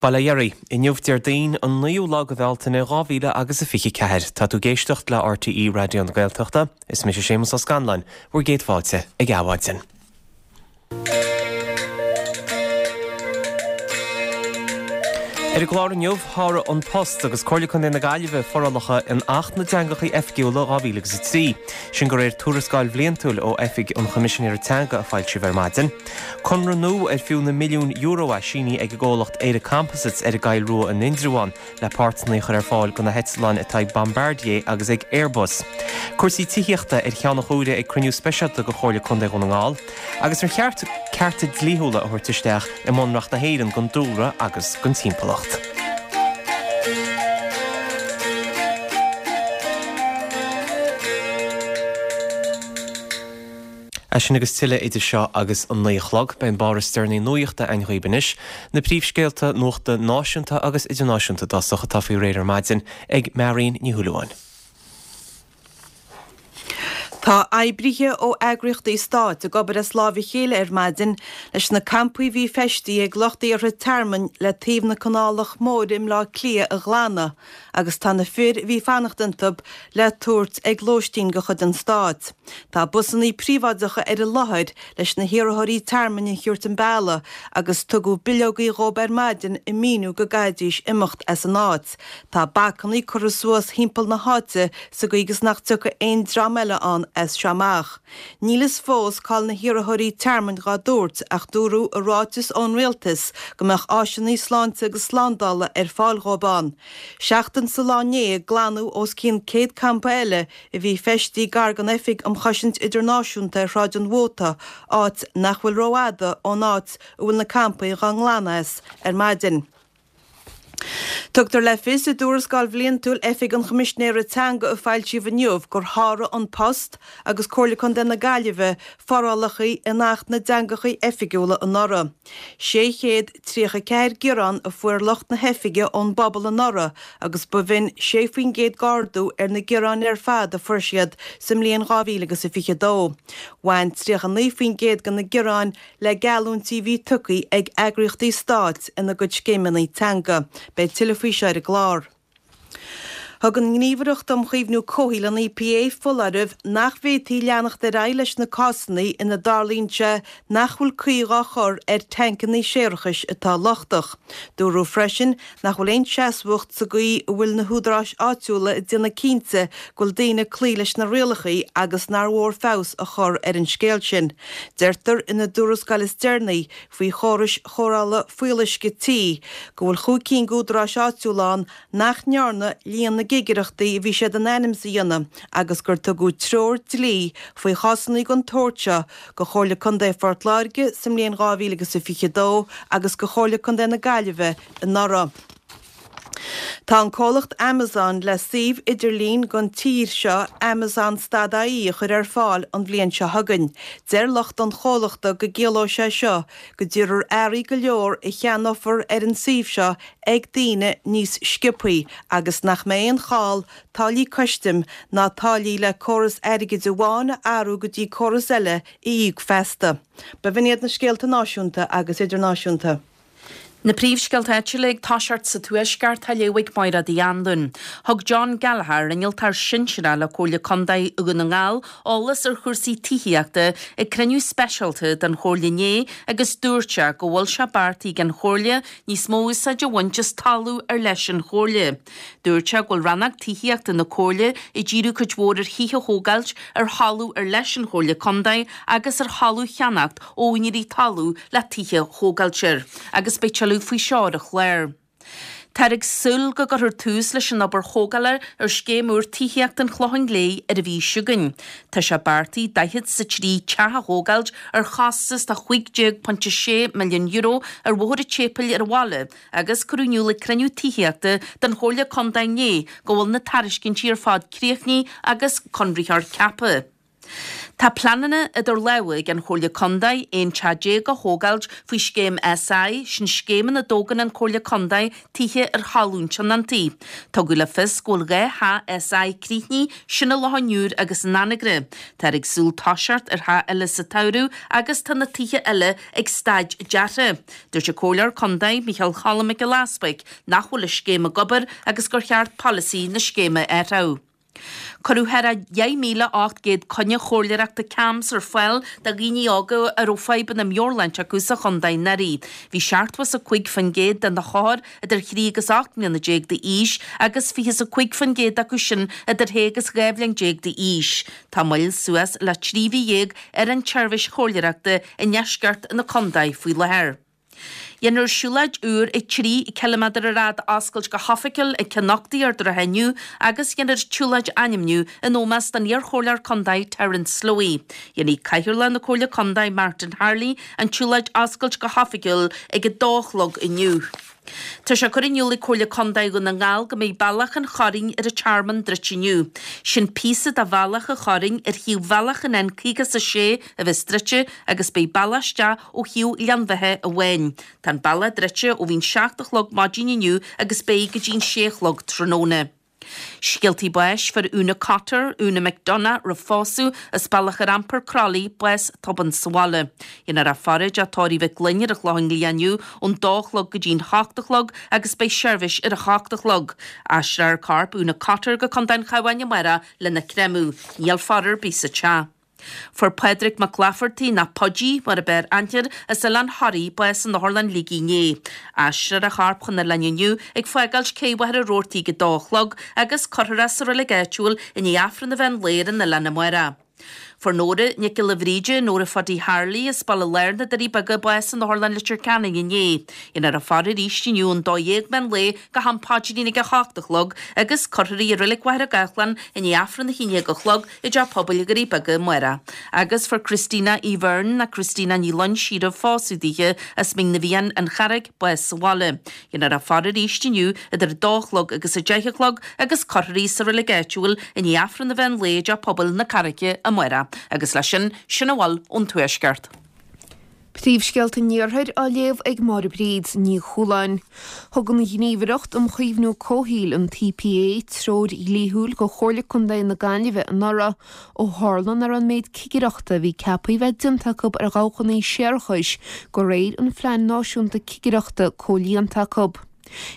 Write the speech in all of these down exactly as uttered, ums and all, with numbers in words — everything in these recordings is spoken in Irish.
Bail ó Dhia oraibh, inniu Déardaoin an naoú lá de Bhealtaine dhá mhíle agus a fiche ceathair. Tá tú ag éisteacht le RTÉ Raidió na Gaeltachta. Is mise Séamus Ó Scanláin, bhur gcéad fáilte ag Adhmhaidin. Ar an gclár inniu, sháraigh An Post agus Comhairle Contae na Gaillimhe forálacha in Acht na dTeangacha Oifigiúla dhá mhíle agus a trí. Sin de réir tuarascáil bhliantúil ó Oifig an Choimisinéara Teanga a foilsíodh ar maidin. Conradh nua ar fiú na milliúin euro é sínithe ag an gcomhlacht Éire Composites ar an gCoill Rua in Indreabhán le páirteanna a chur ar fáil do na heitleáin atá ag Bombardier agus ag Airbus. Cúrsaí tithíochta ar cheann an chomhaire ag cruinniú speisialta de Chomhairle Contae Dhún na nGall agus ar cheart cearta dlíthiúla a thabhairt isteach i mBunreacht na hÉireann don dúlra agus don timpeallacht. É sin agus tuilleadh idir seo agus an naoi a chlog. Beidh an barr is deireanaí nuachta againn dhaoibh anois, na príomhscéalta nuachta náisiúnta agus idirnáisiúnta i dtosach atá faoi réir ar maidin ag Marion Ní Shúilleabháin. Tá oibrithe ó eagraíochtaí stáit ag obair as láimh a chéile ar maidin leis na campaí a bhí feistithe ag lucht iarrtha tearmainn le taobh na Canálach Móire i mBleá Cliath a ghlanadh agus tá na fir a bhí fanacht iontu le tabhairt ag lóistín de chuid an stáit. Tá busannaí príobháideacha ar an láthair leis na hiarrthóirí tearmainn a thabhairt an bealaigh agus tugadh bileogaí dhóibh ar maidin ag míniú go gcaithfidís imeacht as an áit. Tá bacannaí curtha suas thimpeall na háite sa gcaoi gus nach dtiocfaidh aon dream eile ann as seo amach. Níl fhios fós cá'il na hiarrthóirí tearmainn dhá dtabhairt ach dúradh i ráiteas ón rialtas go mbeadh áiseanna sláinte agus slándála ar fáil dhóibh ann. Seachtain sa lá inné glanadh os cionn céad campa eile a bhí feistithe gar don Oifig um Chosaint Idirnáisiúnta ar Shráid an Mhóta, áit nach bhfuil rófhada ón áit a bhfuil na campaí dhá nglanadh as ar maidin. Tugtar le fios i dtuarascáil bhliantúil Oifig an Choimisinéara Teanga a foilsíodh inniu gur sháraigh An Post agus Comhairle Contae na Gaillimhe forálacha in Acht na dTeangacha Oifigiúla anuraidh. sé chéad tríocha a ceathair gearán a fuair lucht na hoifige ón bpobal anuraidh agus ba bh'in sé faoin gcéad d'ardú ar na gearáin ar fad a fuair siad sa mbliain dhá mhíle agus a fiche dó. Bhain tríocha naoi faoin gcéad de na gearáin le geallúintí a bhí tugtha ag eagraíochtaí stáit ina gcuid scéimeanna teanga. Beidh tuilleadh faoi seo ar an gclár. Thug an nGníomhaireacht um Chaomhnú Comhshaoil, an EPA, foláireamh nach bhféadfaí leanacht ar aghaidh leis na cásanna ina dtarlaíonn sé nach bhfuil caoi dhá chur ar tancanna séarachais atá lochtach. Dúradh freisin nach bhfuil aon seasmhacht sa gcaoi a bhfuil na húdaráis áitiúla ag déanamh cinnte go bhfuil daoine ag cloí leis na rialacha agus nár mhór feabhas a chur ar an scéal sin. Deirtear ina dtuarascáil is deireanaí faoi chórais chóireála fuíolluisce tí go bhfuil chúig cinn d'údaráis áitiúla ann nach ndearna líon na gcigireachtaí a bhí siad in ainm is a dhéanamh agus gur tugadh treoir dlí faoi chásanna den tsórt seo go Chomhairle Contae Phort Láirge sa mbliain dhá mhíle agus a fiche dó agus go Chomhairle Contae na Gaillimhe anuraidh. Tá an comhlacht Amazon le suíomh idirlín don tír seo Amazon stad IE a chur ar fáil an bhliain seo chugainn. Deir lucht an chomhlachta go gciallóidh sé seo go dtabharfar earraí go leor a cheannófar ar an suíomh seo ag daoine níos sciobthaí agus nach mbeidh aon chall táillí custaim ná táillí le córas airgid amháin a athrú go dtí córas eile a íoc feasta. Ba bh'in iad na scéalta náisiúnta agus idirnáisiúnta. Na príomhscéalta áitiúla ag toiseacht sa Tuaisceart á léamh ag Máire Uí Anluain. Thug John Gallagher, innealtóir sinsearach le Comhairle Contae Dhún na nGall, eolas ar chúrsaí tithíochta ag cruinniú speisialta den Chomhairle inné agus dúirt sé go bhfuil sé beartaithe ag an Chomhairle níos mó úsáid a bhaint as talamh ar leis an Chomhairle. Dúirt sé go bhfuil rannóg tithíochta na Comhairle ag díriú cuid mhór ar thithe a thógáilt ar thalamh ar leis an Chomhairle Contae agus ar thalamh a cheannacht ó úinéirí talún le tithe a thógáilt air agus beidh tuilleadh faoi seo ar an chlár. Táthar ag súil go gcuirfear tús leis an obair thógála ar scéim úr tithíochta an Chlocháin Léith ar an mhí seo chugainn. Tá sé beartaithe daichead is a trí teach a thógáilt ar chostas de chúig déag pointe sé milliún euro ar Bhóthar an tSéipéil ar an bhaile agus cuireadh in iúl ag cruinniú tithíochta den Chomhairle Contae inné go bhfuil na tairiscintí ar fad críochnaithe agus conraitheoir ceaptha. Tá pleananna idir lámha ag an Chomhairle Contae aon teach déag a thógáilt faoi scéim SI, sin scéim ina dtógann an Chomhairle Contae tithe ar thalamh tionóntaí. Tugadh le fios go bhfuil dhá theach SI críochnaithe, sin i Loch an Iúir agus in Anagaire. Táthar ag súil toiseacht ar theach eile sa tsamhradh agus tá na tithe eile ag staid deartha. Dúirt an Comhairleoir Contae, Micheál Cholm Mac Giolla Easbuig, nach bhfuil an scéim ag obair agus gur cheart polasaí na scéime a athrú. Cuireadh thar dheich míle ocht gcéad coinne chomhairleoireachta CAMHS ar fáil do dhaoine óga a raibh fadhbanna meabhairshláinte acu sa chontae anuraidh. Bhí seachtó is a cúig faoin gcéad de na hothair idir thrí agus ocht mbliana déag d'aois agus fiche is a cúig faoin gcéad acu sin idir shé agus dhá bhliain déag d'aois. Tá moill suas le trí mhí dhéag ar an tseirbhís chomhairleoireachta i ndeisceart na contae faoi láthair. Déanfar siúlóid úr trí ciliméadar ar fhad a oscailt go hoifigiúil ag Cionn Uchtaí ar Droichead inniu agus déanfar an tsiúlóid a ainmniú in ómós don iar-chomhairleoir contae Terence Slowey. Dhéanfaidh Cathaoirleach na Comhairle Contae Martin Harley an tsiúlóid a oscailt go hoifigiúil ag a dó a chlog inniu. Tá sé curtha in iúl ag Comhairle Contae Dhún na nGall go mbeidh Bealach an Chorráin ar an Tearmann druidte inniu. Sin píosa de Bhealach an Chorráin ar thaobh bhealach an N caoga is a sé a bheas druidte agus beidh bealach isteach ó thaobh Ghleann Bheatha amháin. Tá an bealach druidte ó bhí'n seacht a chlog maidin inniu agus beidh go dtí'n sé a chlog tráthnóna. Scéaltaí báis, Fuair Úna Cotter, Úna McDonagh roimh phósadh, as Bealach ar Iompair, Croithlí, bás tobann sa bhaile. Déanfar í a faire i dTeach Tórraimh Mhic Fhloinn ar an Chlochán Liath inniu ón dó a chlog go dtí'n hocht a chlog agus beidh seirbhís ar a hocht a chlog. Aistreofar corp Úna Cotter go Contae an Chabháin amárach lena chréamadh. Níl faire ar bith sa teach. Fuair Pádraig Mac Laifeartaigh, nó Paidí mar ab fhearr aithne air, as Oileán Thoraí, bás in Otharlann Shligigh inné. Aistreofar a chorp chun an oileáin inniu ag fágáilt Cé Mhachaire Rabhartaigh ag a dó a chlog agus cuirfear é sa reilig áitiúil i ndiaidh Aifreann an mheán lae ar an oileán amárach. Fuair Nóra Nic Giolla Bhríde, Nóra Phuddy Harley, as Baile Láir na Doirí Beaga, bás in Otharlann Leitir Ceanainn inné. Déanfar a faire arís inniu ón dó dhéag meán lae go ham paidrín ag a hocht a chlog agus cuirfear í i Reilig Mhachaire Gathlán i ndiaidh Aifreann a haon déag a chlog i dTeach Pobail Dhoirí Beaga amárach. Agus fuair Christina Uí Bheirn, nó Christina Ní Loingsigh roimh phósadh daoithe, as Mín na bhFiann, An Charraig, bás sa bhaile. Déanfar a faire arís inniu idir a dó a chlog agus a deich a chlog agus cuirfear í sa reilig áitiúil i ndiaidh Aifreann an mheán lae i dTeach Pobail na Carraice amárach. Agus leis sin, sin a bhfuil ón Tuaisceart. Príomhscéalta an Iarthair á léamh ag Máire Bríd Ní Chualáin. Thug an Ghníomhaireacht um Chaomhnú Comhshaoil, an EPA, treoir dhlíthiúil do Chomhairle Contae na Gaillimhe anuraidh ó tharla nach raibh an méid cigireachta a bhí ceaptha a bheith déanta acu ar dhabhchanna séarachais de réir an Phlean Náisiúnta Cigireachta comhlíonta acu.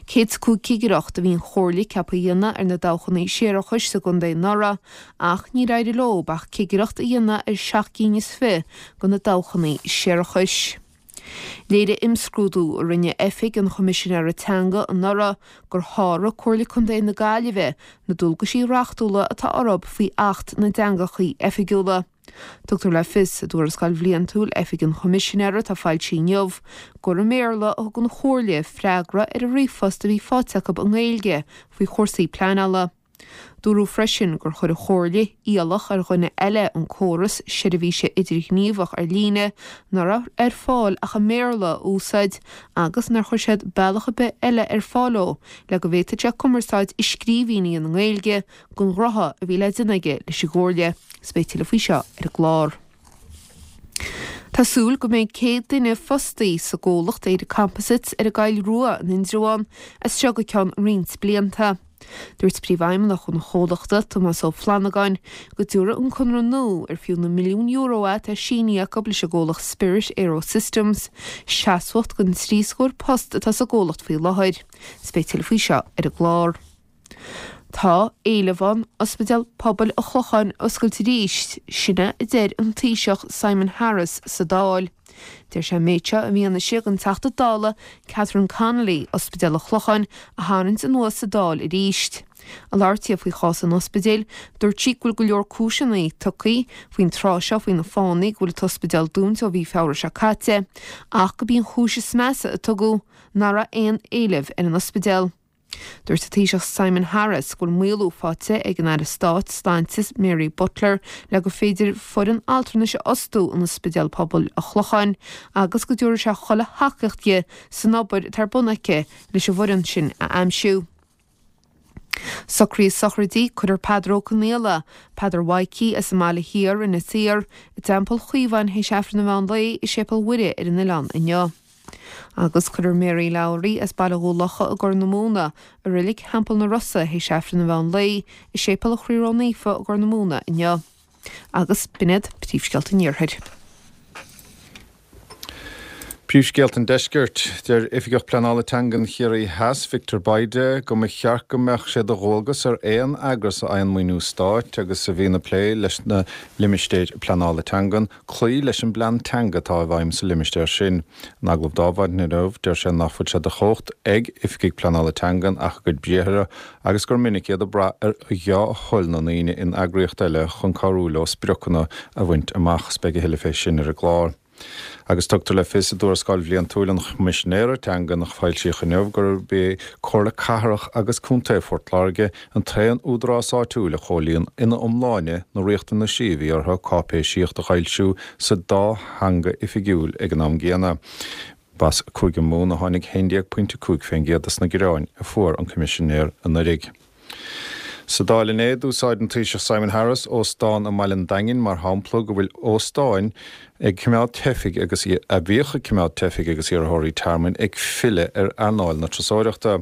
Céad is cúig cigireacht a bhí an Chomhairle ceaptha a dhéanamh ar na dabhchanna séarachais sa gcontae anuraidh ach níor éirigh leo ach cigireacht a dhéanamh ar seacht gcinn is fiche de na dabhchanna séarachais. Léirigh imscrúdú a rinne Oifig an Choimisinéara Teanga anuraidh gur sháraigh Comhairle Contae na Gaillimhe na dualgaisí reachtúla atá orthu faoi Acht na dTeangacha Oifigiúla. Tugtar le fios i dtuarascáil bhliantúil Oifig an Choimisinéara atá foilsithe inniu gur i mBéarla a thug an Chomhairle freagra ar an ríomhphost a bhí faighte acu i nGaeilge faoi chúrsaí pleanála. Dúradh freisin gur chuir an Chomhairle iallach ar dhuine eile an córas seirbhíse idirghníomhach ar líne nach raibh ar fáil ach i mBéarla a úsáid agus nár chuir siad bealach ar bith eile ar fáil dó le go bhféadfadh sé cumarsáid i scríbhinn a dhéanamh i nGaeilge don ghnó a bhí le déanamh aige leis an gComhairle. Is beidh tuilleadh faoi seo ar an gclár. Tá súil go mbeidh céad duine fostaí sa gcomhlacht Éire Composites ar an gCoill Rua in Indreabhán as seo go ceann roinnt blianta. Dúirt Príomhfheidhmeannach an chomhlachta, Tomás Ó Flannagáin, go dtabharfaidh an conradh nua ar fiú na milliúin euro é atá sínithe acu leis an gcomhlacht Spirit AeroSystems, seasmhacht don trí scór post atá sa gcomhlacht faoi láthair. Is beidh tuilleadh faoi seo ar an gclár. Tá éileamh ann Ospidéal Pobail an Chlocháin a oscailt arís, sin é a deir an Taoiseach Simon Harris sa Dáil. Deir sé an méid seo i bhfianaise don Teachta Dála Catherine Connolly Ospidéal an Chlocháin a tharraingt anuas sa Dáil arís. Ag labhairt di faoi chás an ospidéil, dúirt sí go bhfuil go leor cúiseanna tugtha faoin tráth seo faoi na fáthanna go bhfuil an t-ospidéal dúnta ó mhí Feabhra seo caite, ach gurb í an chúis is measa a tugadh nach raibh aon éileamh ar an ospidéal. Dúirt an Taoiseach Simon Harris go bhfuil maolú faighte ag an Aire Stáit Sláinte Mary Butler le gur féidir foireann altranais a fhostú in Ospidéal Pobail an Chlocháin agus go dtabharfaidh sé chuile thacaíocht di san obair atá ar bun aici leis an bhfoireann sin a aimsiú. Socruithe sochraide, Cuirfear Peadar Ó Conaola, Peadar Mhaidhcí as an mBaile Thiar, Inis Oírr, i dTeampall Chaomháin théis Aifreann an mheán lae i Séipéal Mhuire ar an oileán inniu. Agus cuirfear Mary Lowry as Baile Dhún Locha i gCorr na Móna i Reilig Theampall na Rosa théis Aifreann an mheán lae i Séipéal an Chroí Ró-Naofa i gCorr na Móna inniu. Agus b'in iad príomhscéalta an Iarthair. Príomhscéalta an Deiscirt. Deir Oifigeach Pleanála Teangan Chiarraí Theas, Victor Bayda, go mba cheart go mbeadh sé de dhualgas ar aon eagras a fhaigheann maoiniú stáit agus a bhíonn ag plé leis na limistéir pleanála teangan cloí leis an bplean teanga atá i bhfeidhm sa limistéar sin. In agallamh d'Adhmhaidin inniu, deir sé nach bhfuil sé de chumhacht ag oifigigh pleanála teangan ach a gcuid briathra agus gur minic iad ag brath ar dhea-thoil na ndaoine in eagraíocht eile chun cabhrú leo spriocanna a bhaint amach. Beidh a thuilleadh fé sin ar an gclár. Agus tugtar le fios i dtuarascáil bhliantúil an Choimisinéara Teangan a foilsíodh inniu gurb é Comhairle Cathrach agus Contae Phort Láirge an t-aon údarás áitiúil a chomhlíon ina iomláine na riachtanaisí a bhí orthu cáipéisíocht a fhoilsiú sa dá theanga oifigiúil ag an am gcéanna. B'as Cúige Mumhan a tháinig haon déag pointe cúig faoin gcéad des na gearáin a fuair an Coimisinéir anuraidh. Sa Dáil inné, d'úsáid an Taoiseach Simon Harris óstán i mBaile an Daingin mar shampla go bhfuil óstáin ag coimeád teifigh agus a bhíodh ag coimeád teifigh agus iarrthóirí tearmainn ag filleadh ar earnáil na turasóireachta.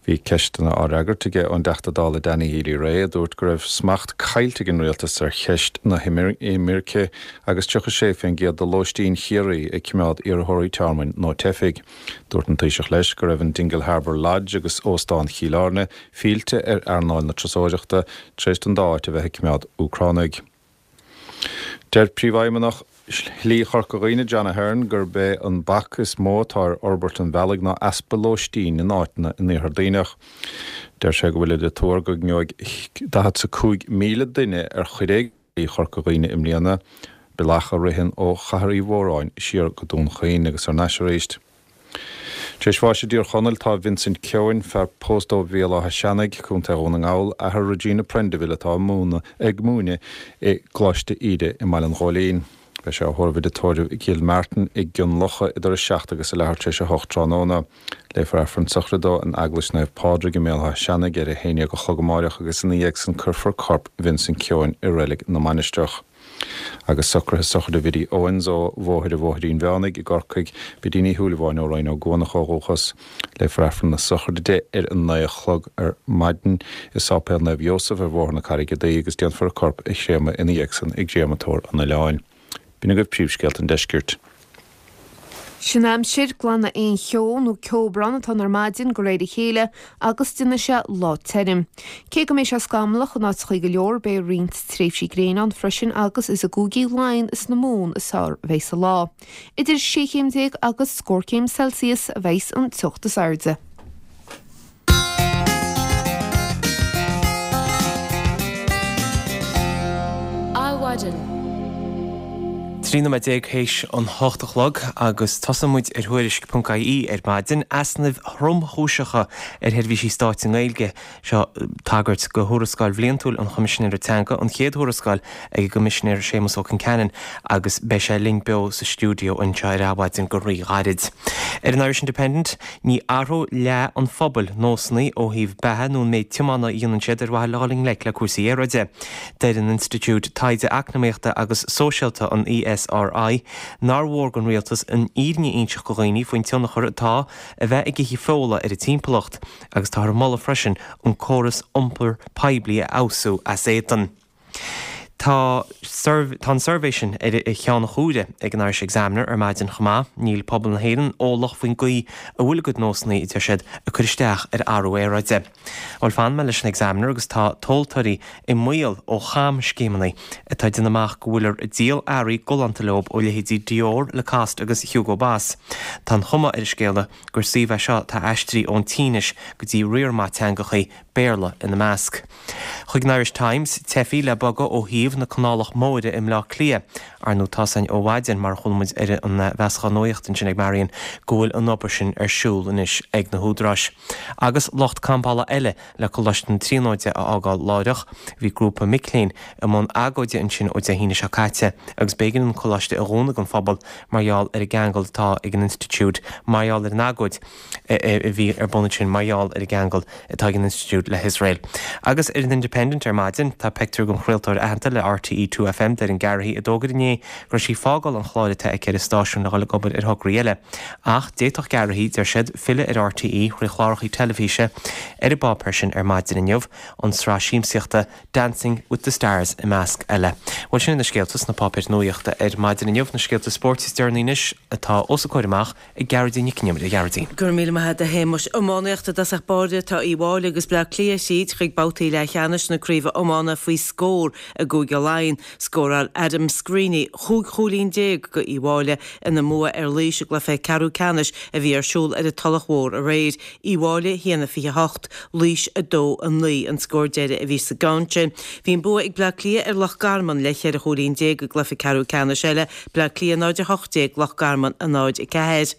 Bhí ceisteanna á fhreagairt aige ón dTeachta Dála Danny Healy-Rae a dúirt go raibh smacht caillte ag an rialtas ar cheist na himirce agus tríocha sé faoin gcéad de lóistín Chiarraí ag coimeád iarrthóirí tearmainn nó teifigh. Dúirt an Taoiseach leis go raibh an Dingle Harbour Lodge agus Óstán Chill Airne fillte ar earnáil na turasóireachta tar éis don dá áit a bheith ag coimeád Úcránaigh. Deir Príomhfheidhmeannach Shlí Chorca Dhuibhne John Ahern gurb é an bac is mó atá ar fhorbairt an bhealaigh ná easpa lóistín in áiteanna in Iarthar Duibhneach. Deir sé go bhfuil idir tuar go ngeobhaidh daichead is a cúig míle duine ar chuid éigin de Shlí Chorca Dhuibhne i mbliana, bealach a ritheann ó Chathair Uí Mhóráin siar go Dún Chaoin agus thar n-ais arís. Tar éis bháis i dTír Chonaill tá Vincent Keohane, fear pósta ó Bhéal Átha Seanaidh, Contae Dhún na nGall, athair Regina Prendeville atá ag múineadh i gColáiste Íde i mBaile an Ghóilín. Beidh sé á thórramh i dtórramh i gCill Martin i gCionn Locha idir a seacht agus a leathuair tar éis a hocht tráthnóna. Léifear Aifreann sochraide dó in Eaglais Naomh Pádraig i mBéal Átha Seanaidh ar a haon déag a chlog amáireach agus ina dhiaidh san cuirfear corp Vincent Keohane i Reilig na Mainistreach. Agus socruithe sochraide Bhiddy Owens ó Bhóthar an Bhóithrín Mheánaigh i gCorcaigh, Biddy Ní Shúilleabháin ó Rinn Ó gCuanach ó dhúchas. Léifear Aifreann na sochraide di ar a naoi a chlog ar maidin i Sáipéal Naomh Iósaf ar Bhóthar na Carraige Duibhe agus déanfar a corp a chréamadh ina dhiaidh san i gcréamatóir an oileáin. B'in agaibh príomhscéalta an deiscirt. Sin aimsir, glanfaidh aon cheo nó ceobhrán atá ann ar maidin de réir a chéile agus déanfaidh sé lá tirim. Cé go mbeidh sé scamallach in áiteachaí go leor beidh roinnt tréimhsí gréine ann freisin agus is i gcúigí Laighean is na Mumhan is fearr a bheidh an lá. Idir sé chéim déag agus scór céim Celsius a bheidh an teocht is airde. Adhmhaidin. Trí nóiméad déag théis an hocht a chlog agus tosaíonn muid ar Thuairisc ponc ie ar maidin, easnaimh thromchúiseacha ar sheirbhísí stáit i nGaeilge. Seo tagairt go thuarascáil bhliantúil an Choimisinéara Teanga, an chéad thuarascáil ag an gCoimisinéir Séamus Ó Concheanainn agus beidh sé linn beo sa stiúideo anseo ar Adhmhaidin go rí-ghairid. Ar an Irish Independent, ní athródh leath an phobail nósanna ó thaobh beatha nó an méid tiomána a dhéanann siad ar mhaithe le dhul i ngleic le cúrsaí aeráide. Deir an Institiúid Taighde Eacnamaíochta agus Sóisialta, an ESRI, nár mhór don rialtas an fhírinne a inseacht do dhaoine faoin tionchar atá a bheith ag ithe feola ar an timpeallacht agus táthar ag moladh freisin an córas iompair poiblí a fheabhsú as éadan. Tá tá an suirbhé sin ar a cheann chuaire ag an Irish Examiner ar maidin chomh maith. Níl pobal na hÉireann eolach faoin gcaoi a bhfuil a gcuid nósanna, a deir siad, ag cur isteach ar athrú aeráide. Bhuel, fanfaidh mé leis an Examiner agus tá tomhaltóirí i mbaol ó chamscéimeanna atá ag déanamh amach go bhfuiltear ag díol earraí galánta leo ó leithéidí Dior, Lacoste agus Hugo Boss. Tá an chuma ar an scéala gur suíomh é seo atá aistrithe ón tSínis go dtí riar maith teangachaí, Béarla ina measc. Chuig an Irish Times, teifigh le bogadh ó shuíomh taobh na Canálach Móire i mBleá Cliath. Ar ndóigh tá a fhios againn ó mhaidin, mar a chuala muid ar an mheascán nuachta ansin ag Marion, go bhfuil an obair sin ar siúl anois ag na húdaráis. Agus lucht campála eile le Coláiste na Tríonóide a fhágáil láithreach, bhí grúpa mic léinn i mbun agóide ansin ó Dé hAoine seo caite agus b'éigean an coláiste a dhúnadh don phobal mar gheall ar an gceangal atá ag an institiúid mar gheall ar an agóid a bhí ar bun ansin mar gheall ar an gceangal atá ag an institiúid le hIosrael. Agus ar an Independent ar maidin, tá pictiúr den chraoltóir aitheanta le RTÉ Two FM, Doireann Garrihy, a d'fhógair inné go raibh sí ag fágáil an chláir atá aici ar an stáisiún le dhul ag obair ar thograí eile. Ach d'fhéadfadh Garrihy, deir siad, filleadh ar RTÉ thrí chláracha teilifíse ar an bpáipéar sin ar maidin inniu, an tsraith siamsaíochta Dancing with the Stars i measc eile. Bhuel sin na scéalta sna páipéir nuachta ar maidin inniu, na scéalta spóirt is deireanaí anois atá os a comhair amach ag Gearóidín Nic Con Iomaire. A Ghearóidín. Go raibh míle maith agat a Shéamuis. Iománaíocht i dtosach báire tá Uíbh Fhailí agus Bleá Cliath tríd chuig babhtaí leathcheannais na craoibhe iomána faoi scór i gCúige Laighean. Scóráil Adam Screeney chúig chúilín déag go Uíbh Fhailí ina mbua ar Laois i gcluiche ceathrú ceannais a bhí ar siúl ar an Tulach Mhór aréir. Uíbh Fhailí a haon a fiche hocht, Laois a dó a naoi an scór deiridh a bhí sa gceann sin. Bhí an bua ag Bleá Cliath ar Loch Garman le cheithre chúilín déag i gcluiche ceathrú ceannais eile, Bleá Cliath náid a hocht déag, Loch Garman a náid a ceathair.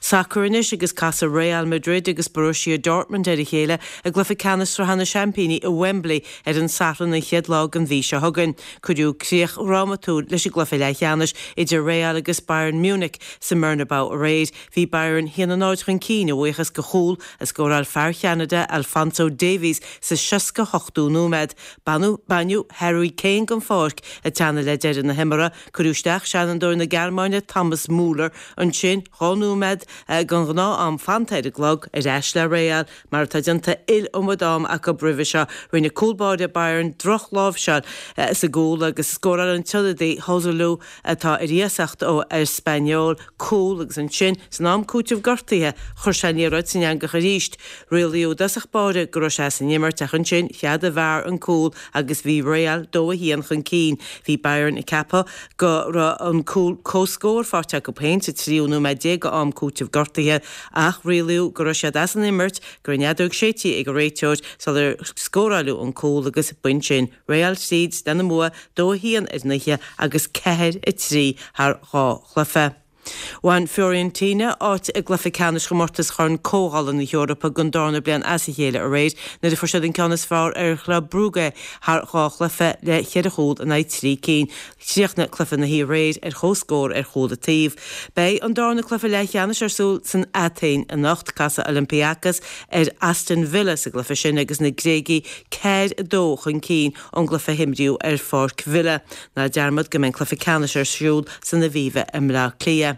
Sacar anois agus casfaidh Real Madrid agus Borussia Dortmund ar a chéile i gcluiche ceannais Sraithe na Seaimpíní i Wembley ar an Satharn an chéad lá den mhí seo chugainn. Cuireadh críoch dhrámatúil leis an gcluiche leathcheannais idir Real agus Bayern Munich sa mBernabeu aréir. Bhí Bayern a haon a náid chun cinn a bhuíochas go chúl a scóráil fear Cheanada Alphonso Davies sa seasca hochtú nóiméad. Baineadh Harry Kane den pháirc ag teannadh le deireadh na himeartha. Cuireadh isteach seanfhondúir na Gearmáine Thomas Muller ansin dhá nóiméad den ghnáth-am fanta ar an gclog ar ais le Real mar atá déanta iliomad am acu roimhe seo. Rinne cúl báire Bayern drochláimhseáil sa gcúl agus scóráil an t-ionadaí Joselu atá ar iasacht ó Espanyol cúl agus ansin san am cúitimh gortaithe chuir sé an liathróid san eangach arís. Rialaíodh i dtosach báire go raibh sé as an imirt ach ansin cheadaigh VAR an cúl agus bhí Real dó a haon chun cinn. Bhí Bayern ag ceapadh go raibh an cúl comhscóir faighte acu féin sa tríú nóiméad déag d'am cúitimh gortaithe ach rialaíodh go raibh siad as an imirt, go raibh an fheadóg séidte ag an réiteoir sular scóráileadh an cúl agus b'in sin Real tríd lena mbua dó a haon ar an oíche agus ceathair a trí thar dhá chluiche. Bhain Fiorentina áit i gcluiche ceannais chomórtas Chorn Comhdhála na hEorpa don darna bliain as a chéile aréir nuair a fuair siad an ceann is fearr ar Chlub Brugge thar dhá chluiche le ceithre chúl in aghaidh trí cinn. Chríochnaigh cluiche na hoíche aréir ar chomhscór ar chúl an taobh. Beidh an darna cluiche leathcheannais ar siúl san Atéin anocht casfaidh Olympiacos ar Aston Villa sa gcluiche sin agus na Gréagaigh ceathair a dó chun cinn ón gcluiche a himríodh ar pháirc Villa. Ná dearmad go mbeidh an cluiche ceannais ar siúl san Aviva i mBleá Cliath.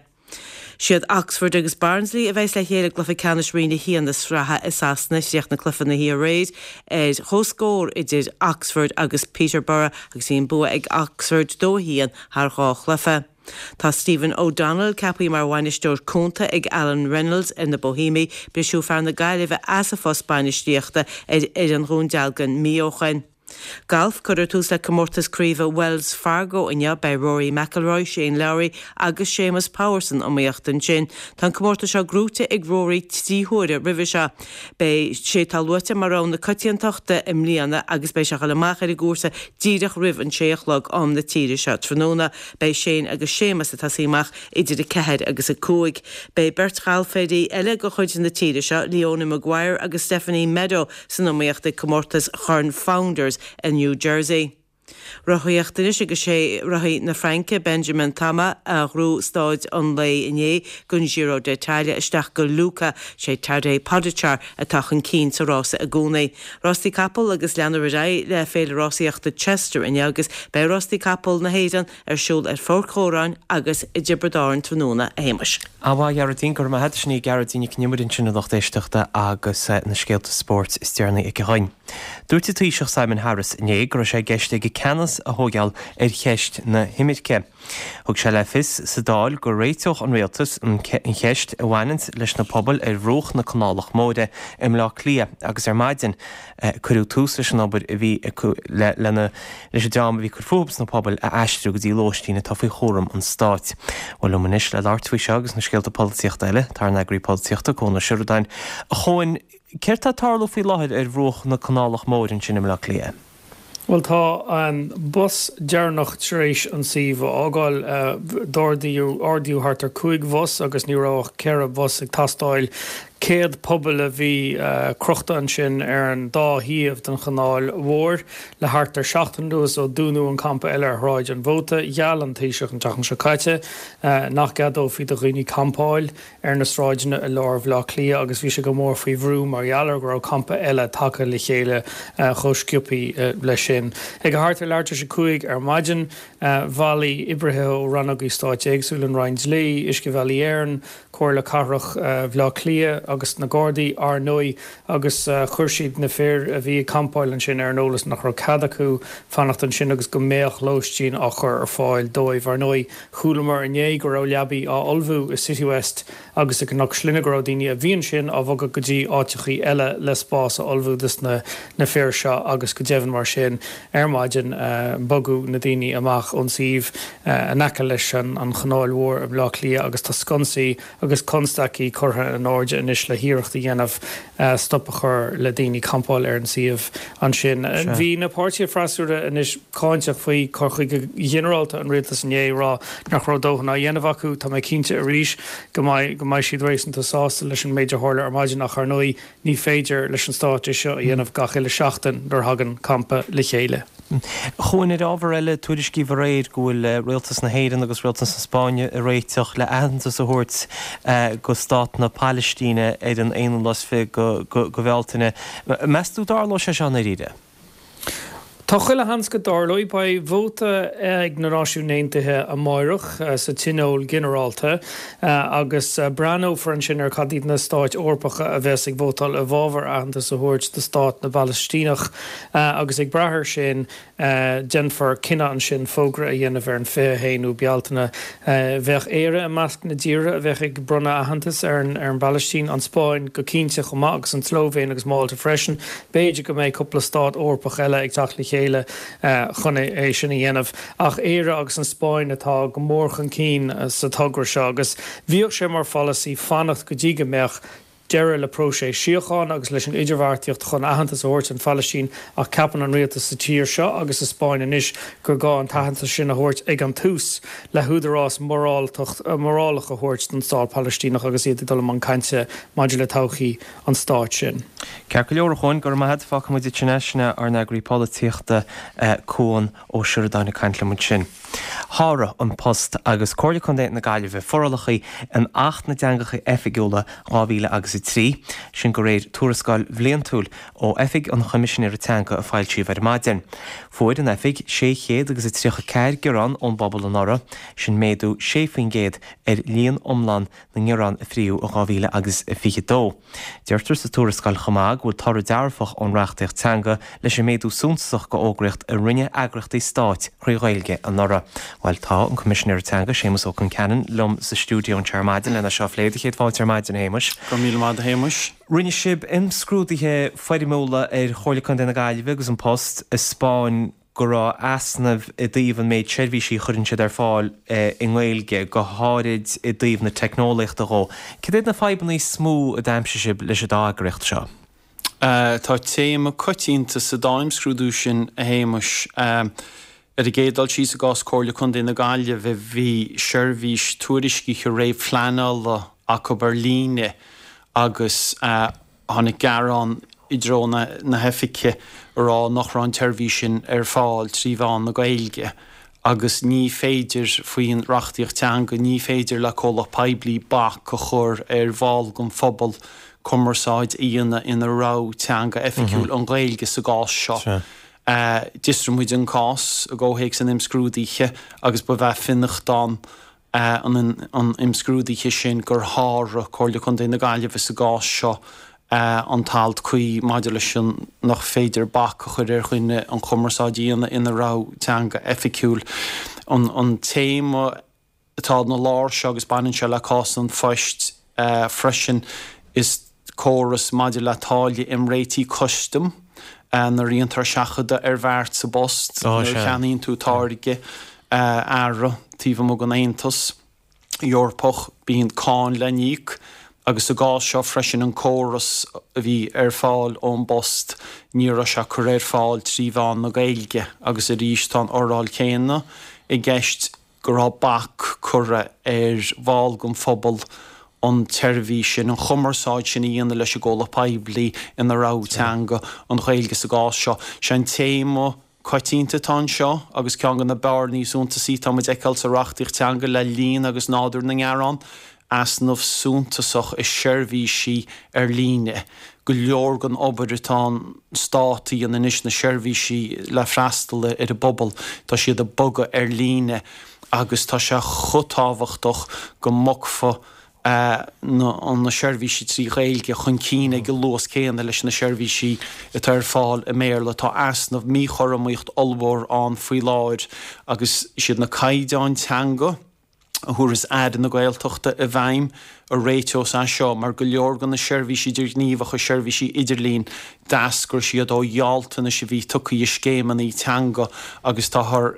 Siad Oxford agus Barnsley a bheas le chéile i gcluiche ceannais Roinn a haon na sraithe i Sasana chríochnaigh cluiche na hoíche aréir ar chomhscór idir Oxford agus Peterborough agus bhí an bua ag Oxford dó a haon thar dhá chluiche. Tá Stephen O'Donnell ceaptha mar bhainisteoir cúnta ag Alan Reynolds ar na Bohemiaigh, briseadh fear na Gaillimhe as a phost bainistíochta ar fhoireann Dhún Dealgan mí ó shin. Galf cuirfear tús le comórtas craoibhe Wells Fargo inniu beidh Rory McIlroy, Shane Lowry agus Séamus Power san iomaíocht ansin. Tá an comórtas seo gnóthaithe ag Rory trí huaire roimhe seo. Beidh sé tá luaite mar rogha na coitiantachta i mbliana agus beidh sé ag dul amach ar an gcúrsa díreach roimh an sé a chlog am na tíre seo tráthnóna. Beidh Shane agus Séamus ag tosaí amach idir a ceathair agus a cúig. Beidh beirt ghalfóirí eile de chuid na tíre seo, Leona Maguire agus Stephanie Meadow san iomaíocht ag comórtas Chorn Founders i New Jersey. Rothaíocht anois agus sé rothaí na Fraince Benjamin Thomas a ghnóthaigh staid an lae inné don Giro d'Italia isteach go Lucca sé Tadej Pogačar atá chun cinn sa rása i gcónaí. Rástaí capall agus leanfar ar aghaidh le féile rásaíochta Chester inniu agus beidh rástaí capall na hÉireann ar siúl ar Pháirc Dhóráin agus i dTiobraid Árann tráthnóna a Shéamuis. An-mhaith a Ghearóidín, go raibh maith agat sin í Gearóidín Nic Con Iomaire ansin a lucht éisteachta agus na scéalta spóirt is deireanaí aici dhúinn. Dúirt an Taoiseach Simon Harris inné go raibh sé i gceist aige ceannas a thógáil ar cheist na himirce. Thug sé le fios sa Dáil go réiteodh an rialtas an cheist a bhaineann leis na pobail ar bhruach na Canálach Móire i mBleá Cliath agus ar maidin cuireadh tús leis an obair a bhí le lena leis an dream a bhí ag cur fúthu sna pobail a aistriú go dtí lóistín atá faoi chúram an stáit. Bhuel liom anois le labhairt faoi seo agus na scéalta polaitíochta eile tá ár n-eagraí polaitíochta Cuan Ó Seireadáin. A Chuain, céard atá ag tarlú faoi láthair ar bhruach na Canálach Móire ansin i mBleá Cliath? Bhuel tá an bus deireanach tar éis an suíomh a fhágáil. D'ordaíodh ordaíodh thart ar cúig bhus agus ní raibh ach ceithre bhus ag teastáil. Céad puball a bhí crochta ansin ar an dá thaobh den chanáil mhór le thart ar seachtain anuas ó dúnadh an campa eile ar Shráid an Mhóta. Gheall an Taoiseach an tseachtain seo caite nach gceadófaí do dhaoine campáil ar na sráideanna i lár Bhaile Átha Cliath agus bhí sé go mór faoi bhrú mar gheall ar go raibh campa eile tagtha le chéile chomh sciobtha leis sin. Ag thart ar leathuair tar éis a cúig ar maidin, bhailigh oibrithe ó rannógaí stáit éagsúla, an Roinn Dlí, Uiscebhealaí Éireann, Comhairle Cathrach Bhaile Átha Cliath agus na Gardaí, ar ndóigh, agus chuir siad na fir a bhí ag campáil ansin ar an eolas nach raibh cead acu fanacht ansin agus go mbeadh lóistín á chur ar fáil dóibh. Ar ndóigh, chualamar inné go raibh leabaí á ullmhú i Citywest agus i gCnoc Slinne, go raibh daoine a bhí ansin á bhogadh go dtí áiteachaí eile le spás a ullmhú dos na na fir seo agus go deimhin mar sin ar maidin bogadh na daoine amach ón suíomh in aice leis an Chanáil Mhór i mBleá Cliath agus tá sconsaí agus constaicí curtha in airde anois le hiarracht a dhéanamh stop a chur le daoine campáil ar an suíomh ansin. Bhí na páirtithe freasúra anois cáinteach faoi chur chuige ghinearálta an rialtais inné, ag rá nach raibh dóthain á dhéanamh acu. Tá mé cinnte arís go mbeidh go mbeidh siad réasúnta sásta leis an méid a tharla ar maidin ach ar ndóigh ní féidir leis an stát é seo a dhéanamh gach uile seachtain nuair a thagann campa le chéile. Chuain, ar ábhar eile, tuairiscíodh aréir go bhfuil Rialtas na hÉireann agus Rialtas na Spáinne ag réiteach le aitheantas a thabhairt go Stát na Palaistíne ar an aonú lá is fiche go Bhealtaine. Meas tú dtarlóidh sé seo i ndáiríre? Tá chuile sheans go dtarlóidh. Beidh vóta ag na Náisiúin Aontaithe amáireach sa Tionól Ginearálta agus breathnófar ansin ar cad iad na stáit Eorpacha a bheas ag vótáil i bhfabhar aitheantas a thabhairt do stát na bPalaistíneach agus ag brath air sin déanfar cinneadh ansin fógra a dhéanamh ar an fiche a haon Bealtaine. Bheadh Éire i measc na dtíortha a bheadh ag bronnadh aitheantas ar an bPalaistín, an Spáinn go cinnte chomh maith agus an tSlóivéin agus Málta freisin. B'fhéidir go mbeidh cúpla stát Eorpach eile ag teacht le chéile chun é sin a dhéanamh. Ach Éire agus an Spáinn atá go mór chun cinn sa togra seo agus bhíodh sé mar pholasaí fanacht go dtí go mbeadh deireadh le próiseas síochána agus leis an idirbheartaíocht chun aitheantas a thabhairt don Phalaistín ach ceapann an rialtas sa tír seo agus sa Spáinn anois gur gá an t-aitheantas sin a thabhairt ag an tús le húdarás morálach a thabhairt don stát Palaistíneach agus iad ag dul i mbun cainte maidir le todhchaí an stáit sin. Ceart go leor, a Chuain, go raibh maith agat. Fágfaidh muid ansin é, sin é ár n-eagraí polaitíochta, Cuan Ó Seireadáin ag caint liom ansin. Sháraigh An Post agus Comhairle Contae na Gaillimhe forálacha in Acht na dTeangacha Oifigiúla dhá mhíle agus a trí, sin de réir tuarascáil bhliantúil ó Oifig an Choimisinéara Teanga a foilsíodh ar maidin. Fuair an Oifig sé chéad agus a tríocha ceathair gearán ón bpobal anuraidh, sin méadú sé faoin gcéad ar líon iomlán na ngearán a fríodh i dhá mhíle agus a fiche dó. Deirtear sa tuarascáil chomh maith go bhfuil toradh dearfach ón reachtaíocht teanga leis an méadú suntasach go fhógraíocht a rinne eagraíochtaí stáit thrí Ghaeilge anuraidh. Bhuel, tá an Coimisinéir Teanga, Séamus Ó Concheanainn, liom sa stiúideo anseo ar maidin lena seo a phlé. Do chéad fáilte ar maidin, a Shéamuis. Go raibh míle maith agat, a Shéamuis. Rinne sibh imscrúduithe foirmiúla ar Chomhairle Contae na Gaillimhe agus An Post a 'spáin go raibh easnaimh i dtaobh an méid seirbhísí a chuireann siad ar fáil i nGaeilge, go háirid i dtaobh na teicneolaíochta dhó. Cad iad na fadhbanna is mó a d'aimsigh sibh leis an dá eagraíocht seo? Tá téama coitianta sa dá imscrúdú sin, a Shéamuis. Ar an gcéad dul síos, i gcás Comhairle Contae na Gaillimhe, bhí seirbhís tuairiscithe réamhphleanála acu ar líne agus Tháinig gearán i dtreo na hoifige a rá nach raibh an tseirbhís sin ar fáil trí mheán na Gaeilge agus ní féidir, faoin reachtaíocht teanga, ní féidir le comhlacht poiblí bac a chur ar bhall den phobal cumarsáid a dhéanamh ina rogha teanga oifigiúil, an Ghaeilge sa gcás seo. D'fhiosraigh muid an cás i gcomhthéacs an imscrúdaithe agus ba é fionnachtán an imscrúdaithe sin gur sháraigh Comhairle Contae na Gaillimhe sa gcás seo an t-alt cuí maidir leis an nach féidir bac a chur ar dhuine an chumarsáid a dhéanamh ina rogha teanga oifigiúil. An téama atá ina lár seo, agus baineann sé le cás an Phoist freisin, is córas maidir le táille imréitigh custaim nuair a dhéantar seachadadh ar bheart sa bpost, nuair a cheannaíonn tú táirge. earra taobh amuigh den Aontas Eorpach, bíonn cáin le n-íoc Agus sa gcás seo freisin an córas a bhí ar fáil ón bPost ní raibh sé curtha ar fáil trí mheán na Gaeilge agus arís tá an fhoráil chéanna i gceist go raibh bac curtha ar bhall den phobal an tseirbhís sin, an chumarsáid sin a dhéanamh leis an gcomhlacht poiblí ina rogha teanga, an Ghaeilge sa gcás seo. Sé an téama coitianta atá anseo agus ceann de na bearnaí is suntasaí atá muid a fheiceáil sa reachtaíocht teanga le líon agus nádúr na ngearán, easnamh suntasach i seirbhísí ar líne. Go leor den obair atá an Stát a dhéanamh anois, na seirbhísí le freastal ar an bpobal, tá siad ag bogadh ar líne agus tá sé chomh tábhachtach go mbogfaí na seirbhísí trí Ghaeilge chun cinn ag an luas céanna leis na seirbhísí atá ar fáil i mBéarla. Tá easnamh, míchothromaíocht ollmhór ann faoi láthair agus is iad na caighdeáin teanga a thabharfas Aire na Gaeltachta i bhfeidhm a réiteos é seo mar go leor de na seirbhísí idirghníomhacha, seirbhísí idirlín, d'eascair siad ó ghealltanais a bhí tugtha i scéimeanna teanga agus táthar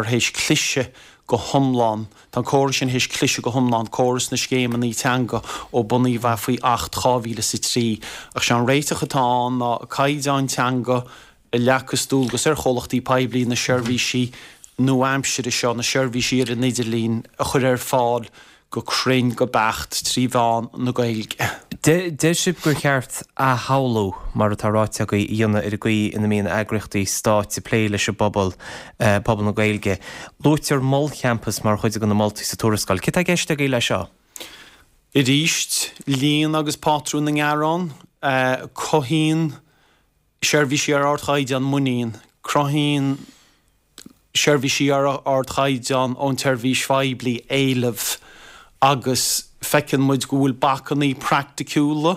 théis cliseadh go hiomlán. Tá an córas sin théis cliseadh go hiomlán, córas na scéimeanna teanga ó bunaíodh é faoi Acht dhá mhíle is a trí. Ach sé an réiteach atá ann ná caighdeáin teanga a leagfas dualgas ar chomhlachtaí poiblí na seirbhísí nua-aimsire seo, na seirbhísí ar an idirlíon, a chur ar fáil go cruinn, go beacht, trí mheán na Gaeilge. Deir sibh gur cheart athshamhlú, mar atá ráite agaibh, a dhéanamh ar an gcaoi ina mbíonn eagraíochtaí stáit ag plé leis an bpobal, pobal na Gaeilge. Luaitear molchampas mar chuid de na moltaí sa tuarascáil. Céard atá i gceist agaibh leis seo? Arís, líon agus pátrún na ngearán, cothaíonn seirbhísí ar ardchaighdeán muinín, cruthaíonn seirbhísí ar ardchaighdeán ón tseirbhís phoiblí éileamh agus feiceann muid go bhfuil bacannaí praiticiúla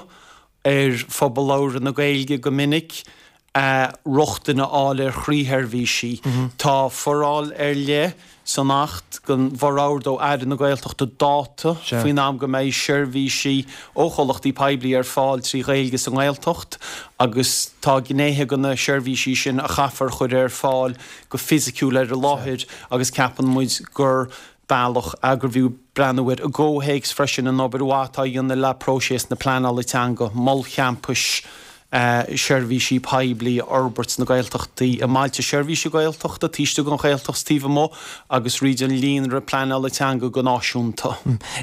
ar phobal labhartha na Gaeilge go minic rochtain a fháil ar chroísheirbhísí. Tá foráil ar leith san Acht go bhforordóidh Aire na Gaeltachta dáta faoin am go mbeidh seirbhísí ó chomhlachtaí poiblí ar fáil trí Ghaeilge sa nGaeltacht agus tá gnéithe de na seirbhísí sin a chaithfear a chur ar fáil go fisiciúil ar an láthair agus ceapann muid gur bealach é gurbh fhiú breathnú air i gcomhthéacs freisin an obair mhaith atá á dhéanamh le próiseas na pleanála teanga, molchampais. seirbhísí poiblí a fhorbairt sna Gaeltachtaí, i mbailte seirbhíse Gaeltachta, taobh istigh den Ghaeltacht is taobh amuigh, agus fríd an líonra pleanála teanga go náisiúnta.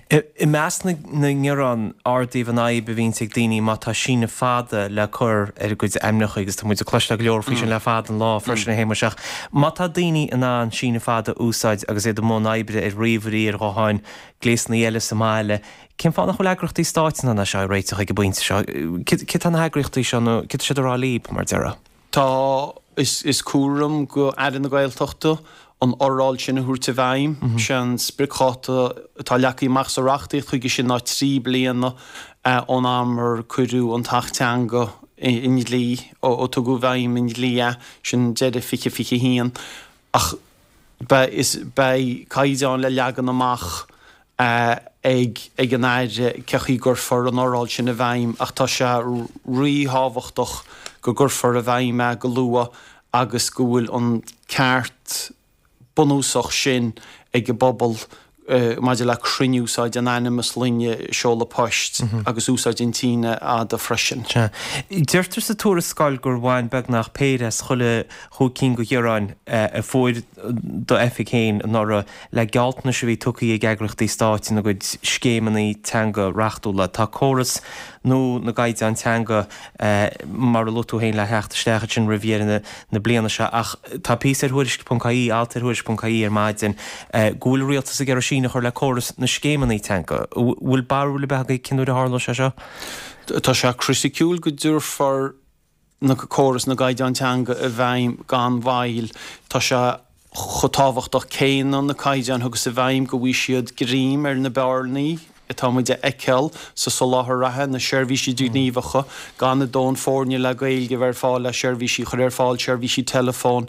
I measc na ngearán, ardaíodh an fhadhb a bhíonns ag daoine má tá síneadh fada le cur ar a gcuid ainmneacha agus tá muid ag cloisteáil go leor faoi sin le fada an lá freisin a Shéamuis ach má tá daoine in ann síneadh fada a úsáid agus iad i mbun oibre ar ríomhairí, ar ghutháin, gléasanna eile sa mbaile, Cén fáth nach bhfuil eagraíochtaí stáit in ann é seo a réiteach ag an bpointe seo? Céard tá na heagraíochtaí seo nó céard tá siad a rá libh, mar déarfá? Tá, is cúram go Aire na Gaeltachta an fhoráil sin a thabhairt i bhfeidhm. Sé an spriocdháta atá leagtha amach sa reachtaíocht chuige sin ná trí bliana ón am ar cuireadh an tAcht Teanga i ndlí, ó tugadh i bhfeidhm i ndlí é, sin deireadh fiche fiche a haon. Ach beidh caighdeáin le leagan amach ag ag an Aire cé chaoi gcuirfear an fhoráil sin i bhfeidhm ach tá sé ríthábhachtach go gcuirfear i bhfeidhm é go luath agus go bhfuil an ceart bunúsach sin ag an bpobal maidir le cruinn-úsáid an ainm, sloinne, seoladh poist agus úsáid an tsínidh fhada freisin. Sea. Deirtear sa tuarascáil gur bhain beagnach péire as chuile chúig cinn de ghearáin a fuair d'oifig féin anuraidh le gealltanais a bhí tugtha ag eagraíochtaí stáit ina gcuid scéimeanna teanga reachtúla. Tá córas nua na gcaighdeán teanga, mar a luaigh tú féin, le theacht isteach ansin roimh dheireadh na bliana seo ach tá píosa ar Thuairisc ponc ie, alt ar Thuairisc ponc ie ar maidin, go bhfuil an rialtas ag iarraidh síneadh a chur le córas na scéimeanna teanga. An bhfuil barúil ar bith agaibh cén uair a tharlóidh sé seo? Tá sé criticiúil go dtabharfar na córas na gcaighdeán teanga i bhfeidhm gan mhoill. Tá sé chomh tábhachtach céanna na caighdeáin a thiocfas i bhfeidhm go bhfaighidh siad greim ar na bearnaí atá muid a fheiceáil sa soláthar reatha, na seirbhísí idirghníomhacha, gan a ndóthain foirne le Gaeilge a bheith ar fáil le seirbhísí a chur ar fáil, seirbhísí teileafóin,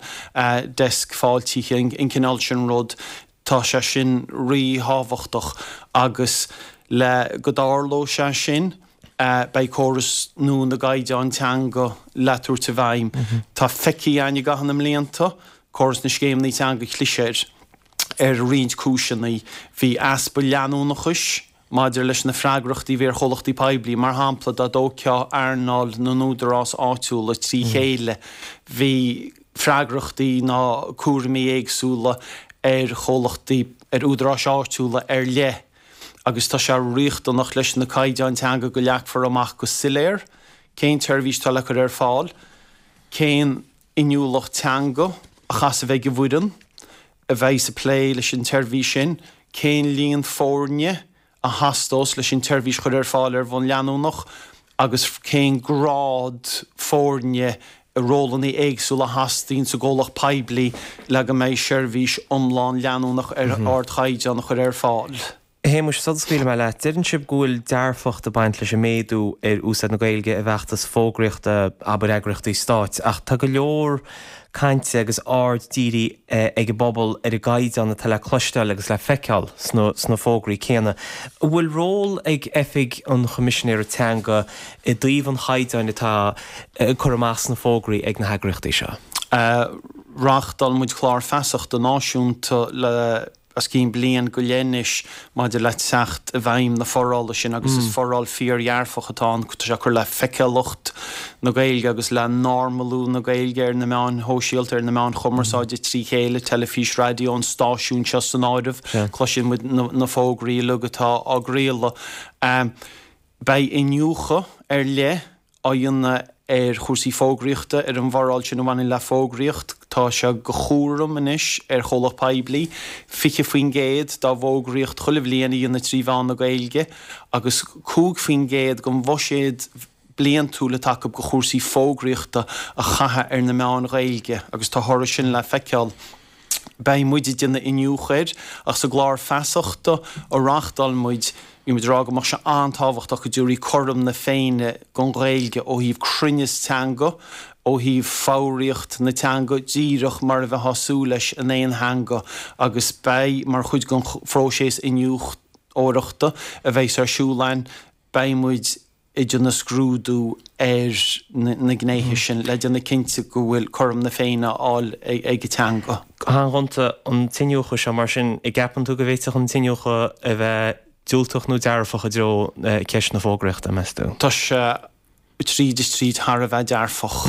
deisc fáiltithe, an cineál sin rud. Tá sé sin ríthábhachtach agus le go dtarlóidh sé sin, beidh córas nua na gcaighdeán teanga le tabhairt i bhfeidhm. Tá feicthe againn i gcaitheamh na mblianta, córas na scéimeanna teanga chlis air ar roinnt cúiseanna. Bhí easpa leanúnachais maidir leis na freagrachtaí a bhí ar chomhlachtaí poiblí, mar shampla, dá dtógfá earnáil na n-údarás áitiúla trí chéile, bhí freagrachtaí ná cúraimí éagsúla ar chomhlachtaí, ar údaráis áitiúla ar leith agus tá sé riachtanach leis na caighdeáin teanga go leagfar amach go soiléir cén tseirbhís atá le cur ar fáil, cén inniúlacht teanga a chaithfeas a bheith ag an bhfoireann a bheidh ag plé leis an tseirbhís sin, cén líon foirne a theastós leis an tseirbhís chur ar fáil ar bhonn leanúnach agus cén grád foirne i rólanna éagsúla a theastaíonn sa gcomhlacht poiblí le go mbeidh seirbhís iomlán leanúnach ar ardchaighdeán a chur ar fáil. A Shéamuis, sula scaoilfidh mé leat, deireann sibh go bhfuil dearfacht ag baint leis an méadú ar úsáid na Gaeilge i bhfeachtais fógraíochta, abair eagraíochtaí stáit, ach tá go leor cainte agus aird dírithe ag an bpobal ar an gcaighdeán atá le cloisteáil agus le feiceáil sna fógraí céanna. An bhfuil ról ag Oifig an Choimisinéara Teanga i dtaobh an chaighdeáin atá curtha amach sna fógraí ag na heagraíochtaí seo? Reáchtáil muid clár feasachta náisiúnta le os cionn bliain go leith anois maidir le teacht i bhfeidhm na forála sin agus is foráil fíordhearfach atá ann. Tá sé ag cur le feiceálacht na Gaeilge agus le normalú na Gaeilge ar na meáin shóisialta, ar na meáin chumarsáide trí chéile, teilifís, raidió, an stáisiún seo san áireamh. Cloiseann muid na fógraí uilig atá á gcraoladh. Beidh iniúchadh ar leith á dhéanamh ar chúrsaí fógraíochta, ar an bhforáil sin a bhaineann le fógraíocht. Tá sé de chúram anois ar chomhlacht poiblí fiche faoin gcéad dá bhfógraíocht chuile bhliain a dhéanamh trí mheán na Gaeilge agus cúig faoin gcéad den bhuiséad bliantúil atá acu do chúrsaí fógraíochta a chaitheamh ar na meáin Ghaeilge agus tá toradh sin le feiceáil. Beidh muid ag déanamh iniúchadh air ach sa gclár feasachta a reáchtáil muid, bhí muid ag rá go mbeadh sé an-tábhachtach go dtabharfaí cothrom na Féinne don Ghaeilge ó thaobh cruinneas teanga, ó thaobh foghraíocht na teanga, díreach mar a bheifeá ag súil leis in aon theanga agus beidh, mar chuid den phróiseas iniúchóireachta a bheas ar siúl againn, beidh muid ag déanamh scrúdú ar na gnéithe sin le déanamh cinnte go bhfuil cothrom na Féinne á fháil ag an teanga. Go han-ghonta, an t-iniúchadh seo, mar sin, an gceapann tú go bhféadfadh an t-iniúchadh a bheith diúltach nó dearfach i dtreo ceist na fógraíochta, meas tú? Tá sé tríd is tríd thar a bheith dearfach.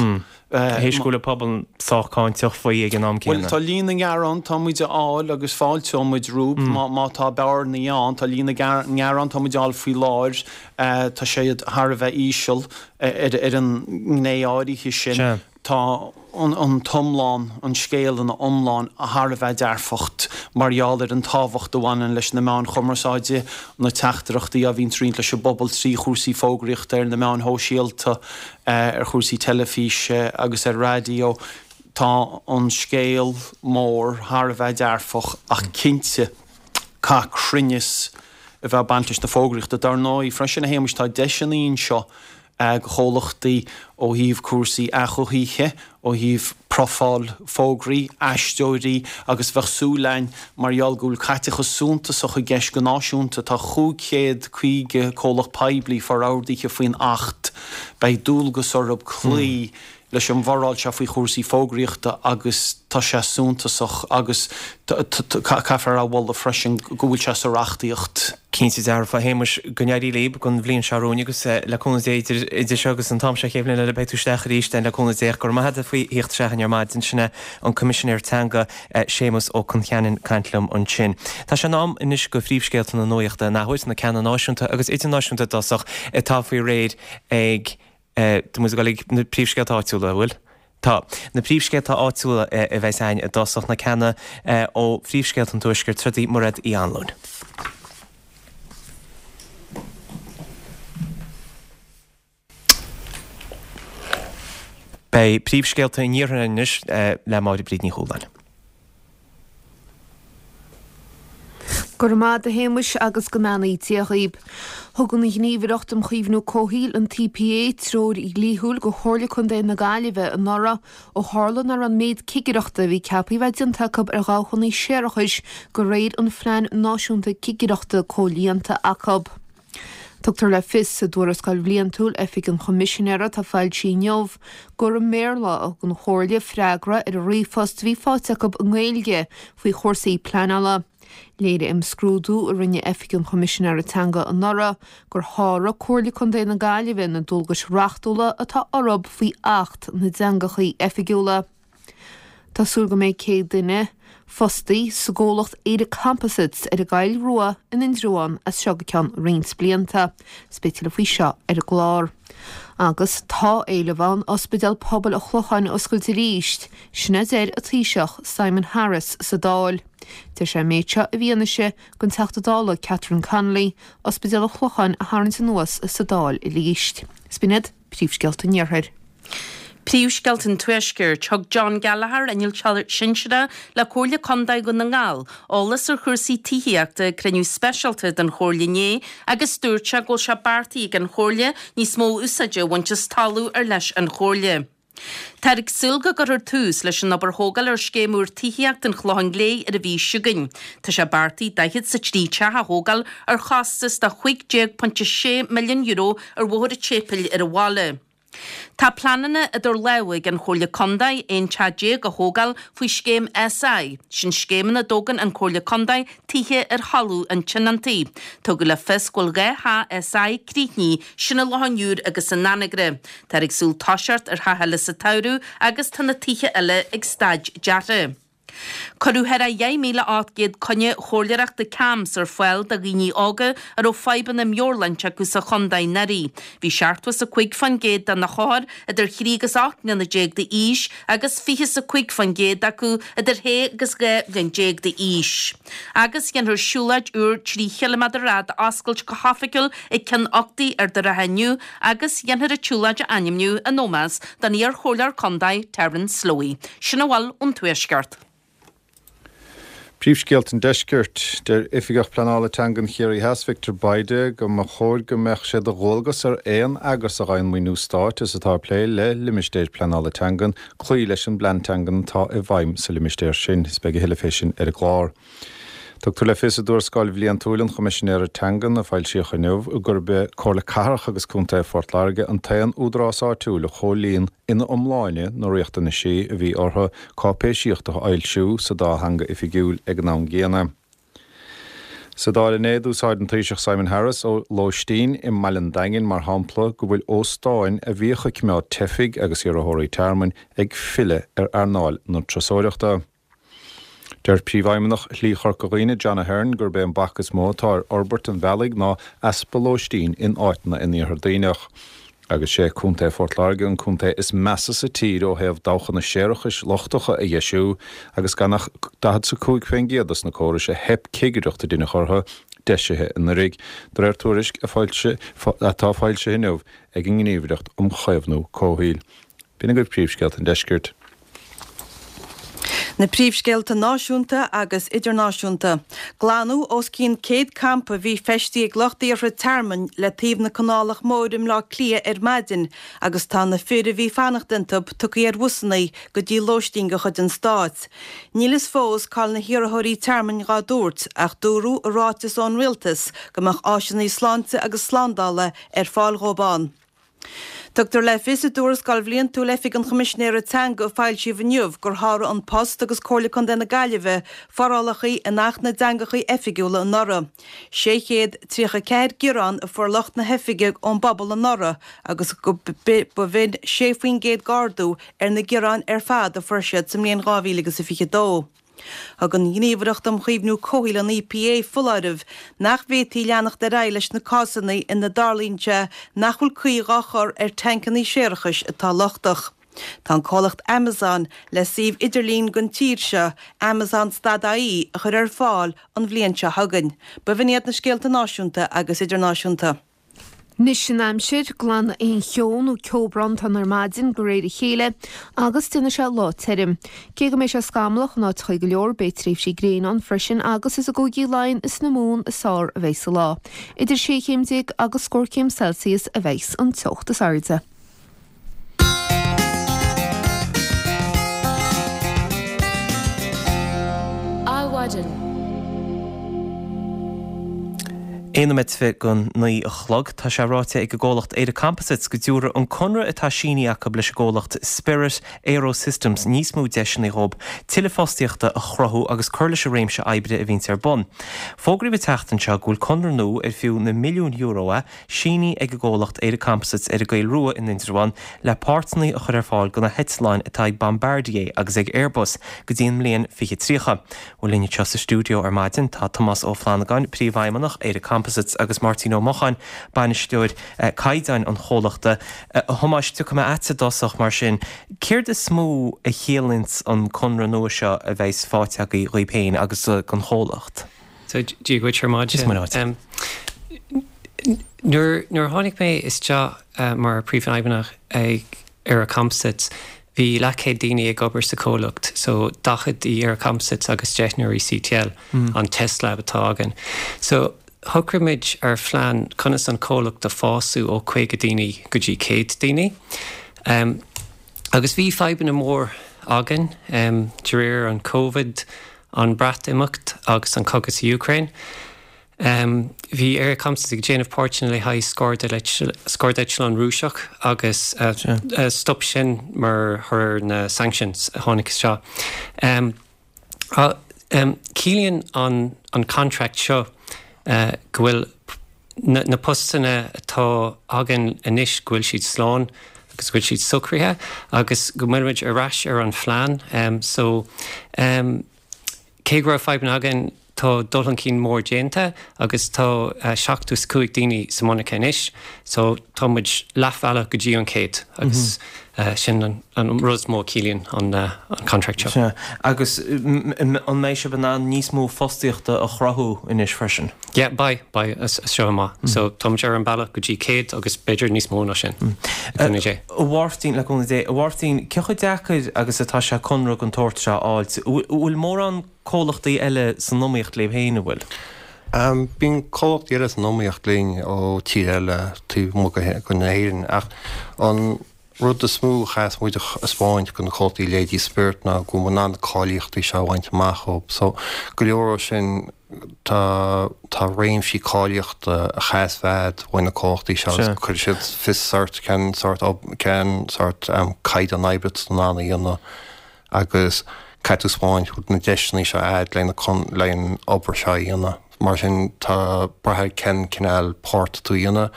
Théis go bhfuil an pobal sách cáinteach faoi ag an am Bhuel, céanna. tá líon na ngearán tá muid a fháil agus fáilteoidh muid rompu má tá bearnaí ann. Tá líon na ngearán tá muid a fháil faoi láthair, tá siad thar a bheith íseal ar an ngné áirithe sin. Tá an t-iomlán, an scéal ina iomlán, thar a bheith dearfach mar gheall ar an tábhacht a bhaineann leis na meáin chumarsáide, na teachtaireachtaí a bhíonn ag roinnt leis an bpobal trí chúrsaí fógraíochta ar na meáin shóisialta, ar chúrsaí teilifíse agus ar raidió. Tá an scéal mór thar a bheith dearfach ach cinnte caithfidh cruinneas a bheith ag baint leis na fógraíochta. Dar ndóigh, freisin, a Shéamais, tá deiseanna anseo do chomhlachtaí ó thaobh cúrsaí athghuthaithe, ó thaobh profáil fógraí, aisteoirí agus bheadh súil againn mar gheall go bhfuil caiteachas suntasach i gceist go náisiúnta, tá chúig chéad caoga comhlacht poiblí forordaithe faoin Acht, beidh dualgas orthu cloí leis an bhforáil seo faoi chúrsaí fógraíochta agus tá sé suntasach agus caithfear a mholadh freisin go bhfuil sé sa reachtaíocht. Cinnte dearfa, a Shéamais, go n-éirí libh don bhliain seo romhainn agus le cúnamh Dé idir idir seo agus an t-am seo chéad bhliain eile beidh tú isteach arís le cúnamh Dé. Go raibh maith agat faoi thíocht isteach ar maidin. Sin é an Coimisinéir Teanga Séamus Ó Concheanainn caint liom ansin. Tá sé in am anois do phríomhscéalta na nuachta in athuair, na ceanna náisiúnta agus idirnáisiúnta i dtosach atá faoi réir ag Tá muid ag dul ag na príomhscéalta áitiúla, an bhfuil? Tá. Na príomhscéalta áitiúla a bheas againn i dtosach, na ceanna ó phríomhscéalta an Tuaiscirt, Trudy Mairéad Uí Anluain. Beidh príomhscéalta an Iarthair anois le Máire Bríd Ní Chualáin. Go raibh maith agat a Shéamais agus go mbeannaí Dia dhaoib. Thug an Ghníomhaireacht um Chaomhnú Comhshaoil, an T P A, treoir dhlíthiúil do Chomhairle Contae na Gaillimhe anuraidh ó tharla nach raibh an méid cigireachta a bhí ceaptha a bheith déanta acu ar dhabhchanna séarachais de réir an Phlean Náisiúnta Cigireachta comhlíonta acu. Tugtar le fios i dtuarascáil bhliantúil Oifig an Choimisinéara atá foilsithe inniu gur i mBéarla a thug an Chomhairle freagra ar an ríomhphost a bhí faighte acu i nGaeilge faoi chúrsaí pleanála. Léirigh imscrúdú a rinne Oifig an Choimisinéara Teanga anuraidh gur sháraigh Comhairle Contae na Gaillimhe na dualgais reachtúla atá orthu faoi Acht na dTeangacha Oifigiúla. Tá súil go mbeidh céad duine fostaí sa gcomhlacht Éire Composites ar an gCoill Rua in Indreabhán as seo go ceann roinnt blianta. Is beidh tuilleadh faoi seo ar an gclár. Agus tá éileamh ann Ospidéal Pobail an Chlocháin a oscailt arís, sin a deir an Taoiseach Simon Harris sa Dáil. Deir sé an méid seo i bhfianaise don Teachta Dála Catherine Connolly Ospidéal an Chlocháin a tharraingt anuas sa Dáil arís. Is b'in iad príomhscéalta an Iarthair. Príomhscéalta an Tuaiscirt, Thug John Gallagher, Innealtóir Sinsearach le Comhairle Contae Dhún na nGall, eolas ar chúrsaí tithíochta ag cruinniú speisialta den Chomhairle inné agus dúirt sé go bhfuil sé beartaithe ag an Chomhairle níos mó úsáide a bhaint as talamh ar leis an Chomhairle. Táthar ag súil go gcuirfear tús leis an obair thógáil ar scéim úr tithíochta an Chlocháin Léith ar an mhí seo chugainn. Tá sé beartaithe daichead 's a trí teach a thógáil ar chostas de chúig déag pointe sé milliún euro ar Bhóthar an tSéipéil ar an bhaile. Tá pleananna idir lámha ag an Chomhairle Contae aon teach déag a thógáil faoi scéim SI, sin scéim ina dtógann an Chomhairle Contae tithe ar thalamh an tionóntaí. Tugadh le fios go bhfuil dhá theach SI críochnaithe, sin i Loch an Iúir agus in Anagaire. Táthar ag súil toiseacht ar theach eile sa tsamhradh agus tá na tithe eile ag staid deartha. Cuireadh thar dheich míle ocht gcéad coinne chomhairleoireachta CAMHS ar fáil do dhaoine óga a raibh fadhbanna meabhairshláinte acu sa chontae anuraidh. Bhí seachtó is a cúig faoin gcéad de na hothair idir thrí agus ocht mbliana déag d'aois agus fiche is a cúig faoin gcéad acu idir shé agus dhá bhliain déag d'aois. Agus déanfar siúlóid úr trí chiliméadar ar fhad a oscailt go hoifigiúil ag Cionn Uchtaí Ard an Rátha inniu agus déanfar an tsiúlóid a ainmniú in ómós don iar-chomhairleoir contae Terence Slowey. Sin a bhfuil ón Tuaisceart. Príomhscéalta an Deiscirt, Deir Oifigeach Pleanála Teangan Chiarraí Theas Victor Bayda go mba chóir go mbeadh sé de dhualgas ar aon eagras a fhaigheann maoiniú stáit is atá ag plé le limistéir pleanála teangan cloí leis an bplean teangan atá i bhfeidhm sa limistéar sin. Is beidh a thuilleadh fé sin ar an gclár. Tugtar le fios i dtuarascáil bhliantúil an Choimisinéara Teangan a foilsíodh inniu gurb é Comhairle Cathrach agus Contae Phort Láirge an t-aon údarás áitiúil a chomhlíon ina iomláine na riachtanaisí a bhí orthu cáipéisíocht a fhoilsiú sa dá theanga oifigiúil ag an am gcéanna. Sa Dáil inné d'úsáid an Taoiseach Simon Harris ó lóistín i mBaile an Daingin mar shampla go bhfuil óstáin a bhíodh ag coimeád teifigh agus iarrthóirí tearmainn ag filleadh ar earnáil na turasóireachta. Deir Príomhfheidhmeannach Shlí Chorca Dhuibhne John Ahern gurb é an bac is mó atá ar fhorbairt an bhealaigh ná easpa lóistín in áiteanna in Iarthar Duibhneach. Agus sé Contae Phort Láirge an contae is measa sa tír ó thaobh dabhchanna séarachais lochtacha a dheisiú agus gan ach daichead 's a cúig faoin gcéad dos na córais a theip cigireacht a deineadh orthu deisithe anuraidh, de réir tuairisc a atá foilsithe inniu ag an nGníomhaireacht um Chaomhnú Comhshaoil. B'in agaibh príomhscéalta an deiscirt. Na príomhscéalta náisiúnta agus idirnáisiúnta. Glanadh os cionn céad campa a bhí feistithe ag lucht iarrtha tearmainn le taobh na Canálach Móire i mBleá Cliath ar maidin agus tá na fir a bhí fanacht iontu tugtha ar bhusanna go dtí lóistín de chuid an stáit. Níl fhios fós cá'il na hiarrthóirí tearmainn dhá dtabhairt ach dúradh i ráiteas ón rialtas go mbeadh áiseanna sláinte agus slándála ar fáil dhóibh ann. Tugtar le fios i dtuarascáil bhliantúil Oifig an Choimisinéara Teanga a foilsíodh inniu gur sháraigh An Post agus Comhairle Contae na Gaillimhe forálacha in Acht na dTeangacha Oifigiúla anuraidh. sé chéad tríocha ceathair gearán a fuair lucht na hoifige ón bpobal anuraidh agus go ba bh'in sé faoin gcéad d'ardú ar na gearáin ar fad a fuair siad sa mbliain dhá mhíle agus a fiche dó. Thug an Ghníomhaireacht um Chaomhnú Comhshaoil an EPA foláireamh nach bhféadfaí leanacht ar aghaidh leis na cásanna ina dtarlaíonn sé nach bhfuil caoi dhá chur ar tancanna séarachais atá lochtach. Tá an comhlacht Amazon le suíomh idirlín don tír seo, Amazon stad IE, a chur ar fáil an bhliain seo chugainn. B'in iad na scéalta náisiúnta agus idirnáisiúnta. Anois an aimsir, glanfaidh aon cheo nó ceobhrán ar maidin de réir a chéile agus déanfaidh sé lá tirim. Cé go mbeidh sé scamallach in áiteacha go leor beidh tréimhsí gréine ann freisin agus is i gCúigí Laighean is na Mumhan is fearr a bheidh sa lá. Idir sé chéim déag agus scór céim Celsius a bheidh an teocht is airde. Adhmhaidin. Aon nóiméad fiche don naoi a chlog. Tá sé ráite ag an gcomhlacht Éire Composites go dtabharfaidh an conradh atá sínithe acu leis an gcomhlacht Spirit AeroSystems níos mó deiseanna dhóibh tuilleadh fostaíochta a chruthú agus cur leis an réimse oibre a bhíonns ar bun. Fógraíodh an tseachtain seo go bhfuil conradh nua ar fiú na milliúin euro é sínithe ag an gcomhlacht Éire Composites ar an gCoill Rua in Indreabhán le páirteanna a chur ar fáil do na heitleáin atá ag Bombardier agus ag Airbus go dtí an mbliain fiche tríocha. Bhuel linn anseo sa stiúideo ar maidin tá Tomás Ó Flannagáin, Príomhfheidhmeannach Éire Composites agus Máirtín Ó Mocháin, Bainisteoir Caighdeáin an chomhlachta. A Thomáis, tiocfaidh mé agatsa i dtosach mar sin. Céard is mó a chiallaíonns an conradh nua seo a bheas faighte agaibh dhaoibh féin agus don chomhlacht? So Dia dhuit ar maidin. Is maith. Nuair nuair a tháinig mé isteach mar príomhfheidhmeannach ag Éire Composites, bhí leathchéad daoine ag obair sa chomhlacht, so daichead i Éire Composites agus deichniúr i C T L, an test lab atá againn. So shocraigh muid ar phlean conas an comhlacht a fhású ó caoga daoine go dtí céad daoine. Um, agus bhí fadhbanna mór againn um, de réir an Covid, an Breatimeacht agus an cogadh sa Ukraine. Um, bhí Éire Composites ag déanamh páirteanna le haghaidh scairdeitleán Rúiseach agus uh, uh, stop sin mar thoradh na sanctions a tháinig isteach. Um, uh, um, Ciallaíonn an, an contract seo uh, go bhfuil na, na postanna atá againn anois go bhfuil siad slán agus go bhfuil siad socraithe agus go bhfuil ar ais ar an phlean. Um, so um, cé go raibh fadhbanna againn tá dul chun cinn mór déanta agus tá uh, seachtó is cúig daoine sa monarcha anois, so tá muid leathbhealach go dtí an céad agus mm -hmm. uh, sin an, an rud mó ciallaíonn an, uh, an contract seo. Sea. Agus an mbeidh sibh in ann níos mó fostaíochta a chruthú anois freisin? Yeah, beidh beidh as seo amach. Mm. So tá ar an bealach go dtí céad agus b'fhéidir níos mó ná sin. Mm. A Mháirtín le cúnamh Dé, a Mháirtín, cé chomh deacair agus atá sé conradh den tsórt seo a fháilt, bhfuil mórán comhlachtaí eile san iomaíocht libh féin an bhfuil? Um, Bíonn comhlachtaí eile san iomaíocht linn ó tír eile taobh amuigh go na hÉireann ach an rud is mó a chaithfeas muid a thaispeáint do na comhlachtaí leithéidí Spirit ná go bhfuil na cáilíochtaí seo bainte amach ó. So go leor sin tá tá réimsí cáilíochta a chaithfeas bheith ag na comhlachtaí seo chuir siad fios ort cén sórt cén sórt um, caighdeán oibre san anna dhéanamh agus caithfidh tú taispeáint na deiseanna seo agat le le an obair seo dhéanamh. Mar sin tá brath cén cineál páirt tú dhéanamh,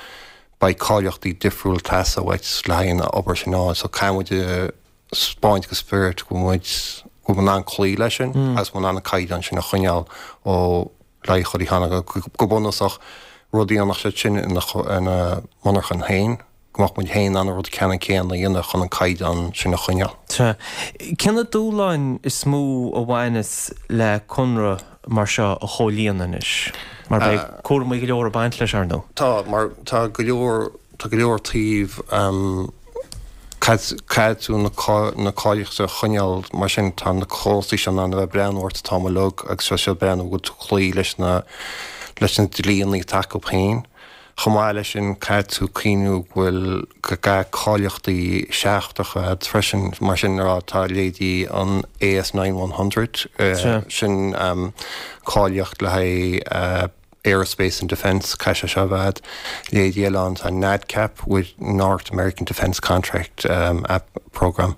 beidh cáilíochtaí difriúil teasa uait le haghaidh an obair sin ná, so caithfidh muid taispeáint go Spirit go muid go bhfuil an cloí leis sin mm. agus an caighdeán sin a choinneáil ó le chuí cheana go bunúsach rudaí nach sé sin ina monarcha féin go mbeadh muid féin an rud ceanna céanna dhéanamh chun an caighdeán sin a choinneáil. Cé na dúshláin is mó a bhaineas le conradh mar seo a chomhlíonadh anois, mar beidh cúraimí go leor ag baint leis ar ndóigh. Tá mar tá go leor tá go leor taobh um, caithfidh tú na na cáilíochta a choinneáil mar sin tá na comhlachtaí sin an bheith breathnú ort tá log agus sé breathnú go cloí leis na leis na dlíthe atá acu féin. Chomh maith leis sin caithfidh tú cuimhniú go bhfuil go gá cáilíochtaí seachtracha freisin mar sin rá tá leithéidí an A S nine hundred uh, sin um, cáilíocht le haghaidh uh, Aerospace and Defence caithfidh sé bheith leithéidí eile an tá NADCAP with North American Defence Contract um, app program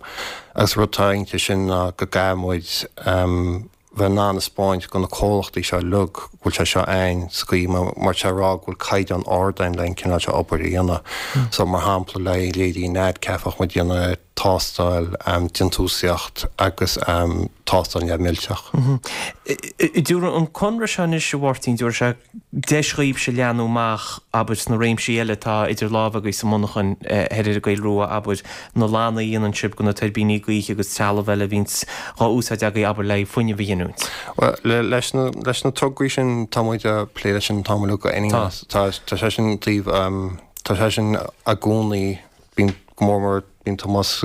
agus rud atá inti sin ná go gcaithfidh muid um, bheith in ann taispeáint do na comhlachtaí seo lug bhfuil sé seo ein scaoi mar sé rá bhfuil caighdeán ard ann le cineál seo obair a dhéanamh. Mm. So mar shampla le leithéidí NADCAP ach muid déanamh tástáil um, déantúsaíocht agus um, tástáil neamh-mhillteach. Mm -hmm. Dúr an conradh seo anois a Mháirtín dúir sé deis dhaoibhse leathnú amach abair sna réimsí eile tá idir lámha agaibh sa monarcha ar an gCoill Rua abair na lanna a dhéanann sibh do na tuirbíní gaoithe agus trealamh eile a bhíonns á úsáid agaibh abair le fuinneamh a ghiniúint. Well, le, leis na, leis na tograí sin tá muid ag plé leis sin tá go tá tá sé sin taobh um, tá sé sin i gcónaí bíonn go mór mór bíonn Tomás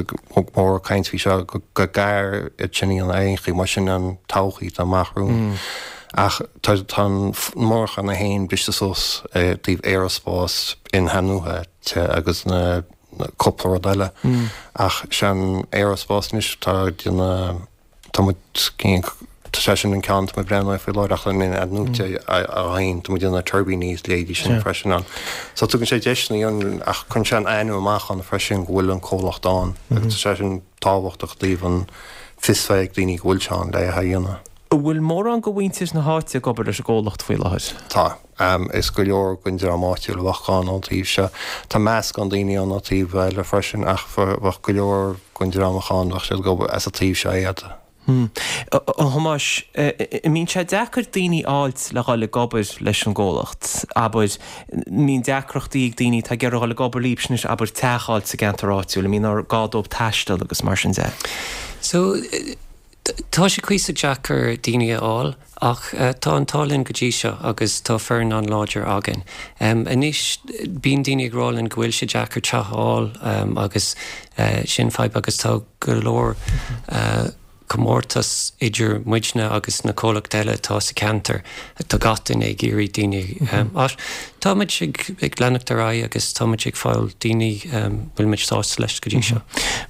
mór caint faoi seo go go gar sin an aon mar sin an todhchaí tá amach romhainn. Ach tá tá monarcha na féin briste suas taobh aerospás in-athnuaite agus na na cúpla rud eile. Ach sin aerospás anois tá déanamh tá Tá sé sin an ceann atá mé ag breathnú air faoi láthair ach an athnuaite a thagann, tá muid ag déanamh tuirbíní is leithéidí sin freisin ann. So tugann sé deiseanna ann ach cuireann sé an ainm amach ann freisin go bhfuil an comhlacht ann agus tá sé sin tábhachtach i dtaobh an fios bheith ag daoine go bhfuil sé ann le é a dhéanamh. An bhfuil mórán de mhuintir na háite ag obair leis an gcomhlacht faoi láthair? Tá. Is go leor den dream áitiúil a bheadh ann ón taobh seo. Tá meascán daoine ann ó taobh eile freisin ach bheadh go leor den dream a bheadh ann, bheadh siad ag obair as an taobh seo iad. A Thomáis, an mbíonn sé deacair daoine a fháilt le dhul ag obair leis an gcomhlacht? Abair, an mbíonn deacrachtaí ag daoine atá ag iarraidh dhul ag obair libhse anois, abair, teach a fháilt sa gceantar áitiúil, an mbíonn gá dóibh taisteal agus mar sin de? So, tá sé cuíosach deacair daoine a fháil ach tá an t-ádh linn go dtí seo agus tá foireann an-láidir againn. Anois, bíonn daoine ag rá linn go bhfuil sé deacair teach a fháil agus sin fadhb agus tá go leor comórtas idir muidne agus na comhlachtaí eile atá sa cheantar. Tá gach duine ag iarraidh daoine ach tá muid ag leanacht ar aghaidh agus tá muid ag fáil daoine bhfuil muid sásta leis go dtí seo.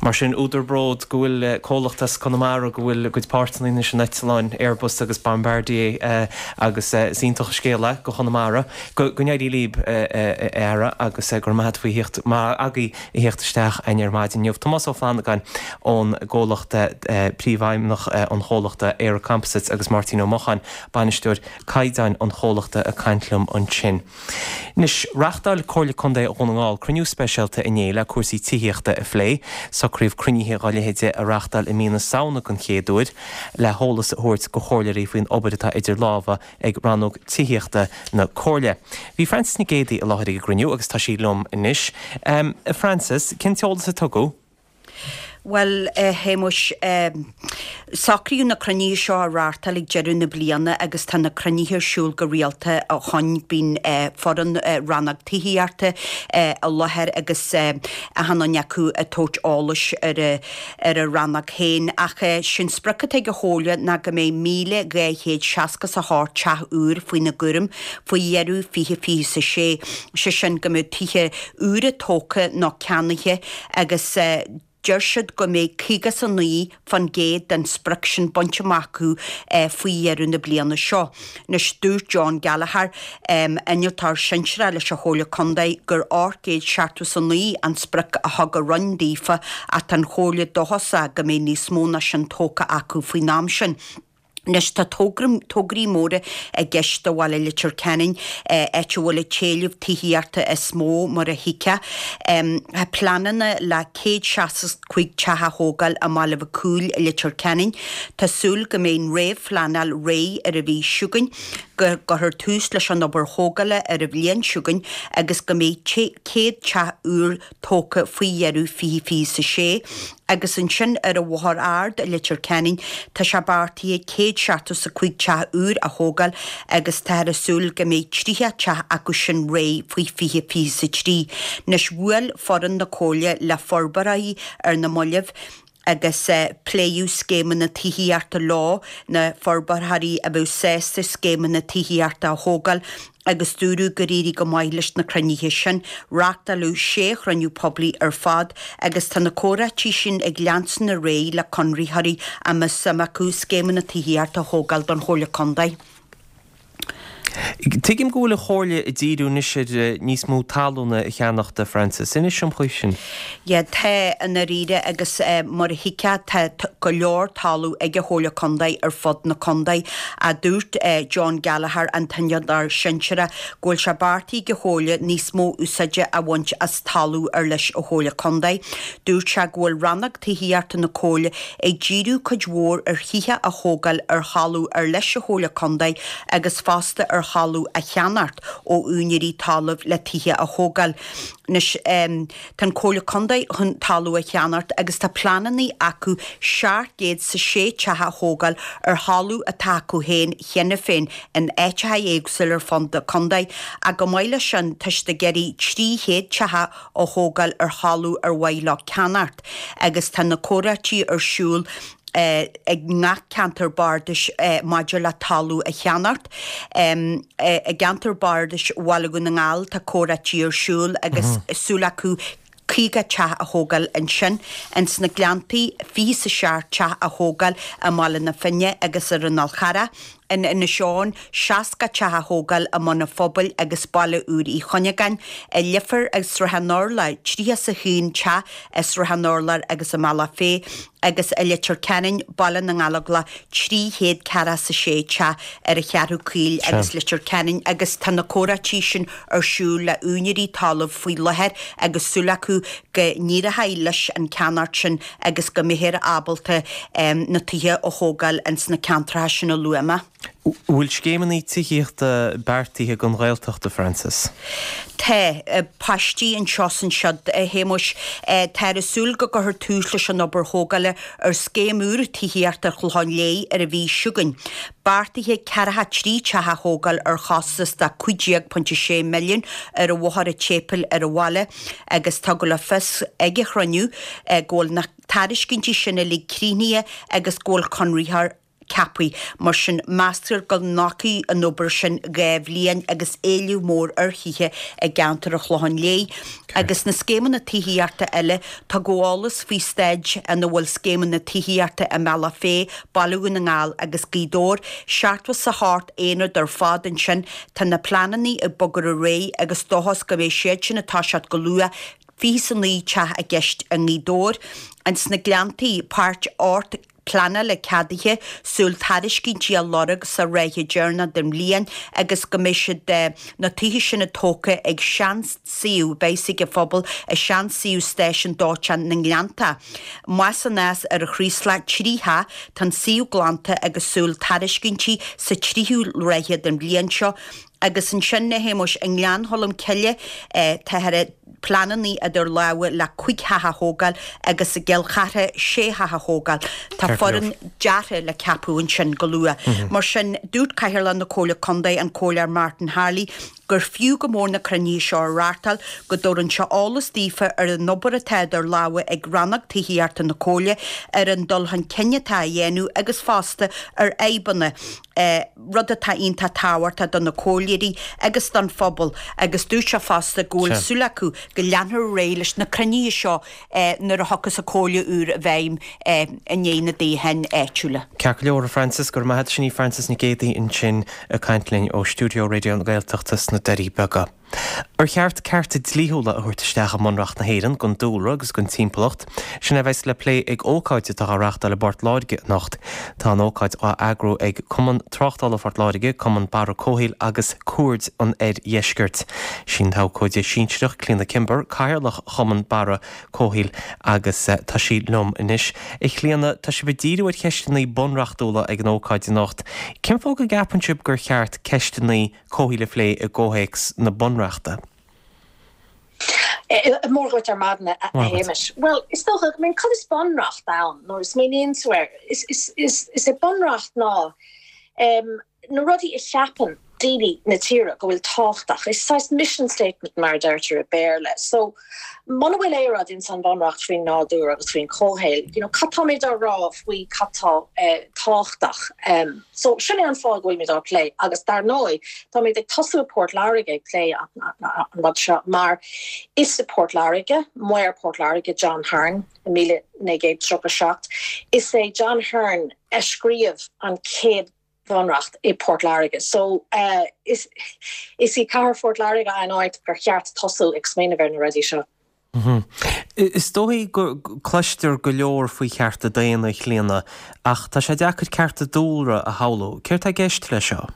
Mar sin, údar bróid go bhfuil comhlacht as Conamara go bhfuil a gcuid páirteanna anois in eitleáin Airbus agus Bombardier agus is iontach an scéal é do Chonamara. Go n-éirí libh a fheara agus go raibh maith agat faoi theacht, maith agaibh a theacht isteach againn ar maidin inniu. Tomás Ó Flannagáin ón gcomhlacht Príomhfheidhmeannach an chomhlachta ÉireComposites agus Máirtín Ó Mocháin, Bainisteoir Caighdeáin an chomhlachta ag caint liom ansin. Anois, reáchtáil Comhairle Contae Dhún na nGall cruinniú speisialta inné le cúrsaí tithíochta a phlé. Socraíodh cruinnithe dá leithéide a reáchtáil i mí na Samhna den chéad uair le heolas a thabhairt do chomhairleoirí faoin obair atá idir lámha ag Rannóg Tithíochta na Comhairle. Bhí Frances Nic Géadaigh i láthair ag an gcruinniú agus tá sí liom anois. A Frances, cén t-eolas a tugadh? Bhuel, a Shéamuis, socraíodh na cruinnithe seo a reáchtáil ag deireadh na bliana agus tá na cruinnithe ar siúl go rialta ó shoin. Bíonn foireann Rannóg Tithíochta i láthair agus achan duine acu ag tabhairt eolais ar ar a rannóg féin. Ach sé'n sprioc atá ag an Chomhairle ná go mbeidh míle dhá chéad seasca 's a hocht teach úr faoina gcúram faoi dheireadh fiche fiche 's a sé, sé sin go mbeidh tithe úra tógtha nó ceannaithe agus deir siad go mbeidh caoga 's a naoi fán gcéad den sprioc sin bainte amach acu faoi dheireadh na bliana seo. Anois dúirt John Gallagher, innealtóir sinsearach leis an Chomhairle Contae, gur ocht gcéad seachtó 's a naoi an sprioc a thug an Roinn daofa ach tá an Chomhairle dóchasach go mbeidh níos mó ná sin tógtha acu faoin am sin. Anois tá tograí móra i gceist do bhaile Leitir Ceanainn, áit a bhfuil an t-éileamh tithíochta is mó, mar a thuigfeá. Tá pleananna le céad seasca 's cúig teach a thógáil i mBaile Mhic Cumhaill i Leitir Ceanainn. Tá súil go mbeidh an réamhphleanáil réidh ar an mhí seo chugainn, go gcuirfear tús leis an obair thógála ar an bhliain seo chugainn agus go mbeidh céad teach úr tógtha faoi dheireadh fiche fiche 's a sé agus ansin ar an Bhóthar Ard i Leitir Ceanainn tá sé beartaithe céad seachtó 's a cúig teach úr a thógáil agus táthar ag súil go mbeidh tríocha teach acu sin réidh faoi fiche fiche 's a trí. Anois bhuail foireann na Comhairle le forbróirí ar na mallaibh agus pléadh scéimeanna tithíochta leo, na forbróirí a bheadh sásta scéimeanna tithíochta a thógáil agus dúradh gur éirigh go maith leis na cruinnithe sin. Reáchtáladh sé chruinniú poiblí ar fad agus tá na comhráití sin ag leanstan ar aghaidh le conraitheoirí a mbeadh suim acu scéimeanna tithíochta a thógáil don Chomhairle Contae. Tuigim go bhfuil an Chomhairle ag díriú anois ar níos mó talún a cheannacht, a Frances. Inis dom faoi sin. Yeah, tá, i ndáiríre, agus mar a thuigfeá, tá go leor talamh ag an Chomhairle Contae ar fud na contae. Ach dúirt John Gallagher, an t-innealtóir sinsearach, go bhfuil sé beartaithe ag an Chomhairle níos mó úsáide a bhaint as talamh ar leis an Chomhairle Contae. Dúirt sé go bhfuil Rannóg Tithíochta na Comhairle ag díriú cuid mhór ar thithe a thógáil ar thalamh ar leis an Chomhairle Contae agus fosta ar thalamh a cheannacht ó úinéirí talaimh le tithe a thógáil. Anois, tá an Comhairle Contae chun talamh a cheannacht agus tá pleananna acu seacht gcéad 's a sé teach a thógáil ar thalamh atá acu féin cheana féin in áiteacha éagsúla ar fud na contae. Ach chomh maith leis sin, tá siad ag iarraidh trí chéad teach a thógáil ar thalamh ar mhaith leo ceannacht agus tá na comhráití ar siúl ag ngach ceantar bardais maidir le talamh a cheannacht. I gceantar bardais Bhaile Dhún na nGall tá comhráití ar siúl agus súil acu caoga teach a thógáil ansin. Ins na Gleanntaí, fiche is a seacht teach a thógáil i mBaile na Finne agus ar an Fhál Charrach. In Inis Eoghain, seasca teach a thógáil i mBun an Phobail agus Baile Úr Uí Chuinneagáin. I Leifear agus Srath an Urláir, tríocha is a haon teach i Srath an Urláir agus i mBealach Féich agus i Leitir Ceanainn, Baile na nGallóglach, trí chéad ceathracha is a sé teach ar an Cheathrú Caoil agus Leitir Ceanainn agus tá na comhráití sin ar siúl le úinéirí talaimh faoi láthair agus súil acu go n-éireoidh leis an ceannacht sin agus go mbeifear ábalta na tithe a thógáil ins na ceantracha sin a luaigh mé. Bhfuil scéimeanna tithíochta beartaithe don Ghaeltacht, a Frances? Tá paistí anseo is ansiúd, a Shéamuis. Táthar ag súil go gcuirfear tús leis an obair thógála ar scéim úr tithíochta ar Chlochán Léith ar an mhí seo chugainn. Beartaithe ceathracha trí teach a thógáil ar chostas de cúig déag pointe sé milliún ar an Bhóthar an tSéipéil ar an bhaile agus tugadh le fios ag an chruinniú go bhfuil na tairiscintí sin uilig críochnaithe agus go bhfuil conraitheoir ceaptha. Mar sin, meastar go nglacfaidh an obair sin dhá bhliain agus éileamh mór ar thithe i gceantar an Chlocháin Léith. Agus na scéimeanna tithíochta eile, tugadh eolas faoi staid ina bhfuil scéimeanna tithíochta i mBealach Féich, Baile Dhún na nGall agus Gaoth Dobhair. Seachtó is a hocht aonad ar fad ansin. Tá na pleananna ag bogadh ar aghaidh agus dóchas go mbeidh siad sin ag toiseacht go luath. Fiche is a naoi teach i gceist i nGaoth Dobhair. Ins na Gleanntaí, páirt ocht pleanála ceadaithe, súil tairiscintí a lorg sa ráithe deireanach den bhliain agus go mbeidh siad, na tithe sin tógtha ag seansuíomh, beidh ag an phobal, i seansuíomh stáisiún dóiteáin na nGleannta. Amach is aneas ar an Chraoslach, trí theach, tá an suíomh glanta agus súil tairiscintí sa tríú ráithe den bhliain seo. Agus ansin, a Shéamuis, i nGleann Cholm Cille, tá pleananna idir lámha le cúig theach a thógáil agus i gCill Chartha sé theach a thógáil. Tá foireann deartha le ceapadh ansin go luath. Mar sin, dúirt Cathaoirleach na Comhairle Contae, an Comhairleoir Martin Harley, gur fiú go mór na cruinnithe seo a reáchtáil, go dtabharann sé eolas daofa ar an obair atá idir lámha ag Rannóg Tithíochta na Comhairle, ar an dul chun cinn atá á dhéanamh agus fosta ar fhadhbanna. rud atá iontach tábhachtach do na comhairleoirí agus don phobal agus dúirt sé fosta go bhfuil súil acu go leanfar ar aghaidh leis na cruinnithe seo nuair a thiocfas an Chomhairle úr i bhfeidhm i ndiaidh na dtoghcháin áitiúla. Ceart go leor, a Frances, go raibh maith agat. Sin í Frances Nic Géadaigh ansin ag caint linn ó stiúideo Raidió na Gaeltachta sna Doirí Beaga. Ar cheart cearta dlíthiúla a thabhairt isteach i mBunreacht na hÉireann don dúlra agus don timpeallacht? Sin a bheas le plé ag ócáid atá á reáchtáil i bPort Láirge anocht. Tá an ócáid á eagrú ag Cumann Tráchtála Phort Láirge, Cumann Barra Comhshaoil agus Cuaird an Oirdheiscirt. Sí an t-abhcóide sinsearach Clíona Kimber, Cathaoirleach Chumann Barra Comhshaoil agus tá sí liom anois. A Chlíona, tá sibh ag díriú ar cheisteanna bunreachtúla ag an ócáid anocht. Cén fáth go gceapann sibh gur cheart ceisteanna comhshaoil a phlé i gcomhthéacs na Bunreachta? Mora dhuit ar maidin, a Shéamais. Bhuel, is dócha, I mean, cad is bunreacht ann nuair a smaoiníonn tú air? Is, is, is, is é bunreacht ná um, na rudaí a cheapann daoine na tíre go bhfuil tábhachtach. Is saghas mission statement mar a deirtear i Béarla. So, muna bhfuil aon rud ins an bhunreacht faoin nádúr agus faoin chomhshaol, you know, cad táimid á rá faoi cad tá eh, tábhachtach? Um, so sin é an fáth go bhfuilimid á plé agus dar ndóigh táimid ag tosú i Port Láirge ag plé an rud seo mar is i Port Láirge, Maor Port Láirge John Hearne i míle naoi gcéad tríocha seacht. Is é John Hearne a scríobh an chéad bhunreacht i Port Láirge. So uh, is, is í cathair Phort Láirge an áit gur cheart tosú ag smaoineamh ar na rudaí seo. Is dóigh go cloistear go leor faoi chearta daonna, a Chlíona, ach tá sé deacair cearta dúlra a shamhlú. Céard tá i gceist leis seo?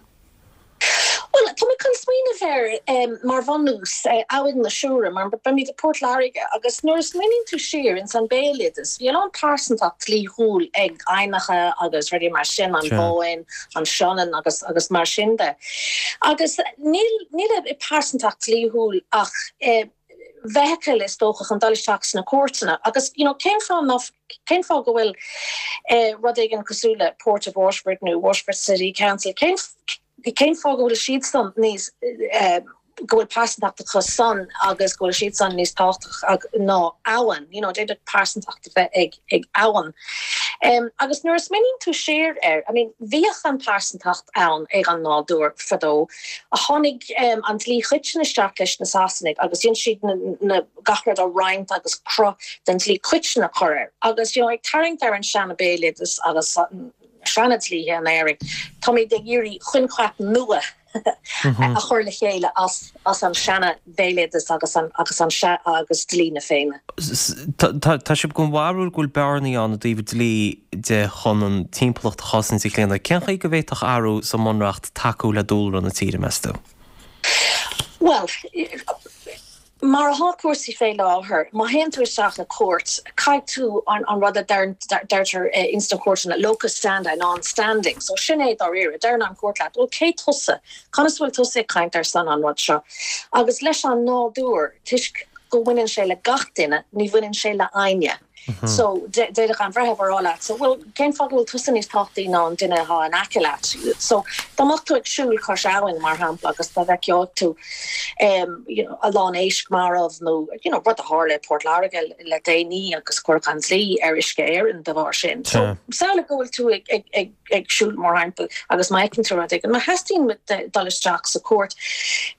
Bhuel, tá mé chun smaoineamh ar mar bhunús Abhainn na Siúire, mar beimid i Port Láirge agus nuair a smaoiníonn tú siar ins an béaloideas, bhí a lán pearsantacht dlíthiúil ag aibhneacha agus rudaí mar sin, an Bhóinn, an Sionainn agus agus mar sin de. Agus níl níl i pearsantacht dlíthiúil ach feithicil is dócha chun dul isteach sna cúirteanna agus you know cén fáth ná cén fáth go bhfuil rud éigin cosúil le Port of Waterford nó Waterford City Council cén cén fáth go bhfuil siadsan níos go bhfuil pearsantacht acu san agus go bhfuil siad san níos tábhachtach ná abhainn, you know, d'fhéadfadh pearsantacht a bheith ag ag abhainn. Um, agus nuair a smaoiníonn tú siar air, I mean, bhíodh an pearsantacht ann ag an nádúr fadó, a tháinig um, an dlí coiteann isteach leis na Sasanaigh agus dhein siad na, na gach rud a roinnt agus cruth den dlí coiteann a chur air. Agus you know, ag tarraingt ar an seana béaloideas agus seana dlíthe in Éirinn, táimid ag iarraidh coincheap nua a chur le chéile as as an seana bhéaloideas agus an agus an se agus dlí na Féinne. Tá sibh den bharúil go bhfuil bearnaí ann i dtaobh dlí de chun an timpeallacht a chosaint a Chlíona. Cén chaoi go bhféadfadh athrú sa mBunreacht tacú le dúlra na tíre meas tú? Well, mar atá cúrsaí fé láthair, má théann tú isteach le cúirt, caithfidh tú an, an rud a deirtear eh, ins na cúirteanna locus standi non-standing. So sin é dáiríre, deireann an cúirt leat, well cé tusa, conas bhfuil tusa ag caint ar son an rud seo. Agus leis an nádúr, toisc go bhaineann sé le gach duine, ní bhaineann sé le éinne. So d'fhéadfadh an breitheamh a rá leat, so well cén fáth go bhfuil tusa níos tábhachtaí ná an duine atá in aice leat. So dá mbeadh tú ag siúl cois abhainn mar shampla agus dá bhfeicfeadh tú um, you know, a lán éisc marbh nó you know, rud a tharla i Port Láirge le déanaí agus cuireadh an dlí ar Uisce Éireann de bharr sin. So samhlaigh go bhfuil tú ag, ag, ag, ag siúl mar shampla agus má fheiceann tú rud éigin, má theastaíonn dul isteach sa cúirt,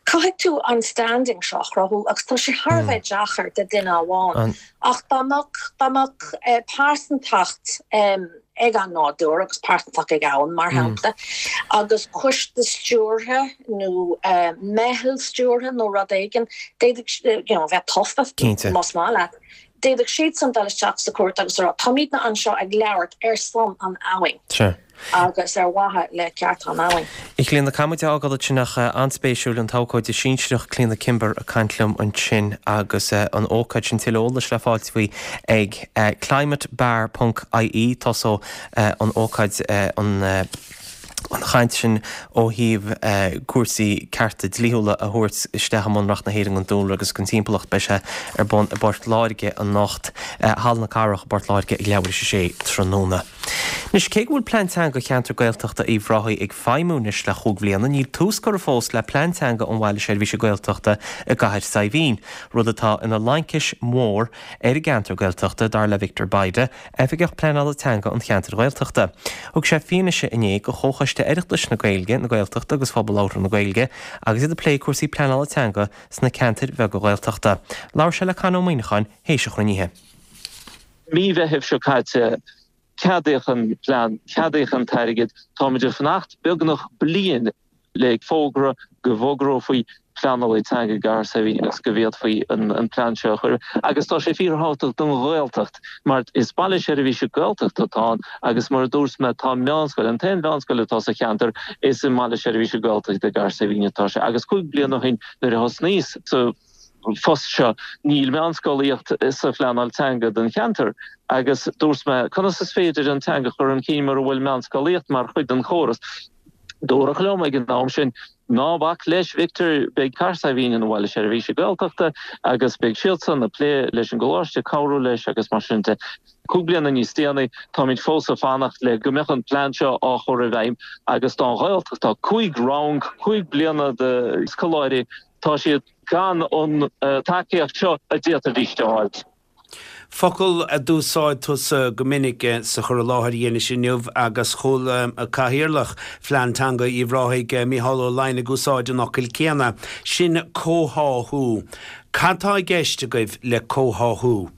caithfidh tú an standing seo a chruthú agus tá sé thar a bheith deacair do duine amháin. Ach dá mbeadh dá mbeadh eh, pearsantacht um, ag an nádúr agus pearsantacht ag abhainn mar shampla, agus coiste stiúrtha nó uh, meitheal stiúrtha nó rud éigin, d'fhéadfadh you know, bheith tofa Cinnte. más maith leat. D'fhéadfadh siad san dul isteach sa cúirt agus rá táimidne anseo ag labhairt ar son an abhainn Sure. agus ar mhaithe le ceart an abhainn. A Chlíona caithfidh muid a fhágáil ansin ach an-spéisiúil an t-abhcóide sinsearach Clíona Kimber ag caint liom ansin agus eh, an ócáid sin tuilleadh eolais le fáilt faoi ag eh, climatebar.ie tosóidh eh, an ócáid eh, an eh, an chaint sin ó thaobh eh, cúrsaí cearta dlíthiúla a thabhairt isteach i mBunreacht na hÉireann don dúlra agus don timpeallacht beidh sé ar bun i bPort Láirge anocht eh, Halla na Cathrach i bPort Láirge ag leathuair tar éis a sé tráthnóna. Anois cé go bhfuil plean teanga cheantar Gaeltachta Uíbh Ráthaigh ag feidhmiú anois le cúig bliana, níl tús curtha fós le plean teanga an bhaile seirbhíse Gaeltachta i gCathair Saidhbhín, rud atá ina laincis mhór ar an gceantar Gaeltachta dar le Victor Bayda, oifigeach pleanála teanga an cheantar Ghaeltachta. Thug sé fianaise inné go Chomhchoiste Oireachtais na Gaeilge, na Gaeltachta agus phobal labhartha na Gaeilge, agus iad ag plé cúrsaí pleanála teanga sna ceantair bheaga Ghaeltachta. Labhair sé le Con Ó Muíneacháin théis an chruinnithe. Mí Mheithimh seo caite ceadaíodh an plean ceadaíodh an t-airgead táimid ag fanacht beagnach bliain le fógra go bhfógrófaí pleanálaí teanga i gCathair Saidhbhín agus go bhféadfaí an, an plean seo a chur agus tá sé fíorthábhachtach don Ghaeltacht mar is baile seirbhíse Gaeltachta atá ann agus mar a dúirt mé tá meánscoil an t-aon mheánscoil atá sa cheantar is i mbaile seirbhíse Gaeltachta i gCathair Saidhbhín atá sé agus cúig bliana ó shin nuair a thosnaíos sa phost seo níl meánscolaíocht sa phleanáil teanga don cheantar agus dúirt mé conas is féidir an teanga chur chun cinn mura bhfuil meánscolaíocht mar chuid den chóras. Dúradh liom ag an am sin ná bac leis Victor beidh Cathair Saidhbhín ina bhaile seirbhíse Gaeltachta agus beidh siadsan ag plé leis an gcoláiste cabhrú leis agus mar sin de. Cúig bliana níos déanaí táimid fós ag fanacht le go mbeadh an plean seo á chur i bhfeidhm agus don Ghaeltacht tá cúig rang cúig bliana de scoláirí tá siad gan an uh, tacaíocht seo a d'fhéadfaidís a fháil. Focal a d'úsáid tusa go minic eh, sa chur i láthair a dhéanais inniu agus chuala cathaoirleach Phlean Teanga Uíbh Ráthaigh eh, Mícheál Ó Laighin ag úsáid an fhocail céanna sin comhtháthú. Cad tá i gceist agaibh le comhtháthú?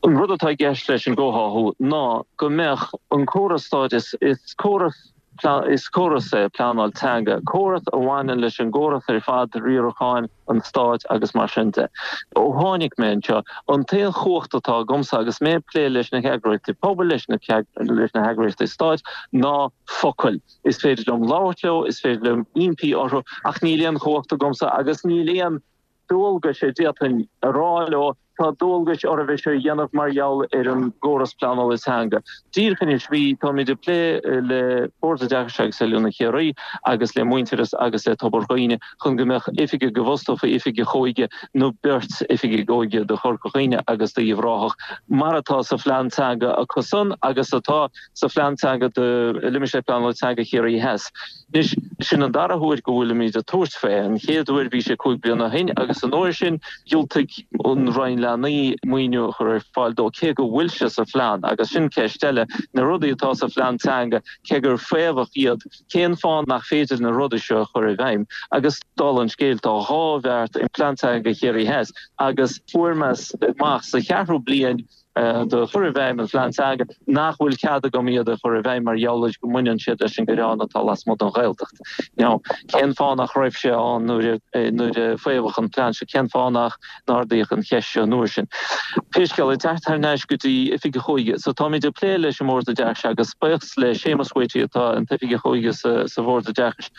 An rud atá i gceist leis an gcomhtháthú ná go mbeadh an córas stáit is, is córas is córas é pleanáil teanga, córas a bhaineann leis an gcóras ar fad riaracháin an stáit agus mar sin de. Ó tháinig mé anseo an t-aon chumhacht atá agamsa agus mé ag plé leis na heagraíochtaí pobail leis na leis na heagraíochtaí stáit ná focail. Is féidir liom labhairt leo, is féidir liom impí orthu ach níl aon chumhacht agamsa agus níl aon dualgas a d'fhéadfainn a rá leo tá dualgas oraibh é seo a dhéanamh mar gheall ar an gcóras pleanála teanga. Díreach anois bhí táimid ag plé le Bord Oideachais agus Oiliúna Chiarraí agus le Muintearas agus le Tobar Dhuibhne chun go mbeadh oifigigh go bhfostófaí oifigigh óige nó beirt oifigigh óige do Chorca Dhuibhne agus d'Uíbh Ráthach mar atá sa phlean teanga acusan agus atá sa phlean teanga do limistéar pleanála teanga Chiarraí Theas. Anois, sin an dara huair go bhfuilimid ag tabhairt fé. An chéad uair bhí sé cúig bliana ó shin agus an uair sin dhiúltaigh an Roinn Leanaí maoiniú a chur ar fáil dó, cé go bhfuil sé sa phlean. Agus sin ceist eile, na rudaí atá sa phlean teanga, cé gur faomhadh iad, cén fáth nach féidir na rudaí seo a chur i bhfeidhm? Agus dála an scéil, tá dhá bheart i bPlean Teanga Chiarraí Theas agus fuair mé amach sa cheathrú bliain de chur i bhfeidhm an phlean teanga nach bhfuil cead agam iad a chur i bhfeidhm mar gheall ar go mbaineann siad leis an gcoireán atá lasmuigh den Ghaeltacht. Now, cén fáth nach raibh sé ann nuair a nuair a faomhadh an plean seo? Cén fáth nach n-ardaíodh an cheist seo an uair sin? Pé scéal é, teacht thar n-ais go dtí Oifigeach Óige. So táimid ag plé leis an mBord Oideachais agus buíochas le Séamus Whitty atá an tOifigeach Óige sa sa Bhord Oideachais.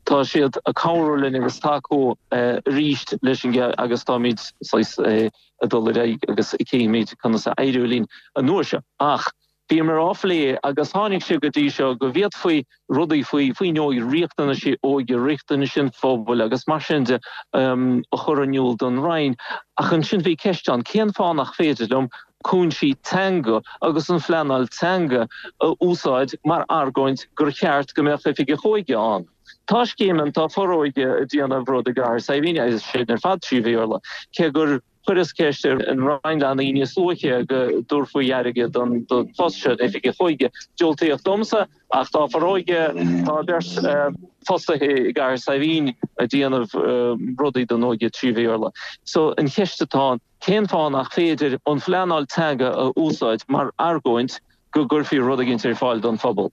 Tá siad ag cabhrú linn agus tacú arís leis an agus táimid saghas ag dul ar aghaidh agus cífimid conas a éireoidh linn an uair seo. Ach bhíomar á phlé agus tháinig sé go dtí seo go bhféadfaí rudaí faoi faoin óige, riachtanaisí óige, riachtanais an phobail agus mar sin de a chur in iúl don Roinn. Ach ansin bhí ceist ann, cén fáth nach féidir liom cúinsí teanga agus an phleanáil teanga a úsáid mar argóint gur cheart go mbeadh oifigeach óige ann. Tá scéim ann, tá Foróige ag déanamh rud i gCathair Saidhbhín agus sin ar fad trí Bhéarla, cé gur chuireas ceist ar an Roinn Leanaí níos luaithe go dtabharfaí airgead don phost seo, oifigeach óige. Diúltaíodh domsa ach tá Foróige, tá beirt fostaithe i gCathair Saidhbhín ag déanamh rudaí don óige trí Bhéarla. So an cheist atá ann, Cén fáth nach féidir an phleanáil teanga a úsáid mar argóint go gcuirfí rud éigin ar fáil don phobal?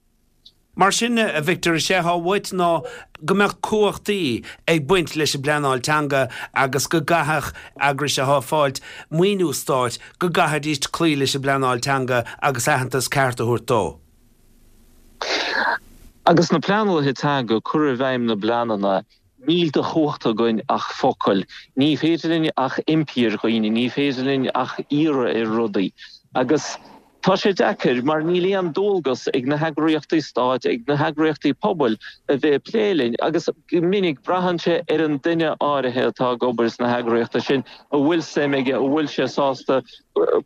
Mar sin, a Victor, is é atá uait ná go mbeadh cumhachtaí ag baint leis an bpleanáil teanga agus go gcaithfeadh eagrais atá ag fáilt maoiniú stáit, go gcaithfidís cloí leis an bpleanáil teanga agus aitheantas ceart a thabhairt dó. Agus na pleanálaithe teanga ag cur i bhfeidhm na bpleananna, Níl de chumhacht againn ach focail. Ní féidir linn ach impí ar dhaoine, ní féidir linn ach iarraidh ar rudaí. Agus tá sé deacair mar níl aon dualgas ag na heagraíochtaí stáit, ag na heagraíochtaí pobail a bheith ag plé linn. Agus go minic braitheann sé ar an duine áirithe atá ag obair sna heagraíochtaí sin, a bhfuil suim aige, a bhfuil sé sásta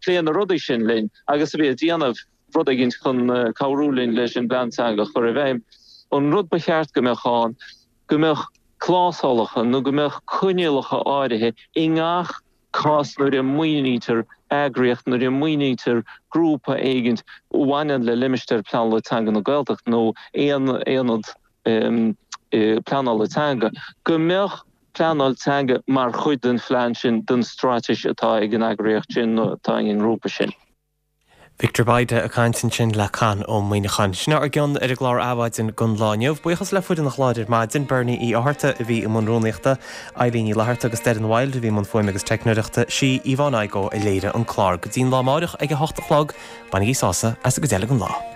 plé na rudaí sin linn agus a bheith ag déanamh rud éigin chun cabhrú linn leis an bplean teanga a chur i bhfeidhm. An rud ba cheart go mbeadh ann, go mbeadh clásalacha nó go mbeadh coinníollacha áirithe i ngach cás nuair a maoinítear eagraíocht, nuair a maoinítear grúpa éigin a bhaineann le limistéar pleanála teanga na Gaeltachta nó aon aonad pleanála teanga, go mbeadh pleanáil teanga mar chuid den phlean sin, den straitéis atá ag an eagraíocht sin nó atá ag an ngrúpa sin. Victor Bayda ag caint ansin le Conn Ó Muíneacháin. Sin ár gcion ar an gclár Adhmhaidin don lá inniu. Buíochas le foireann an chláir ar maidin, Bernie Uí Fhátharta a bhí i mbun rúnaíochta, Eileen Ní Fhlatharta agus Doireann Wilde a bhí i mbun fuaime agus teicneoireachta, sí Yvonne Igoe a léirigh an clár. Go dtí'n lá amáireach ag a hocht a chlog, bainigí sásamh as an gcuid eile den lá.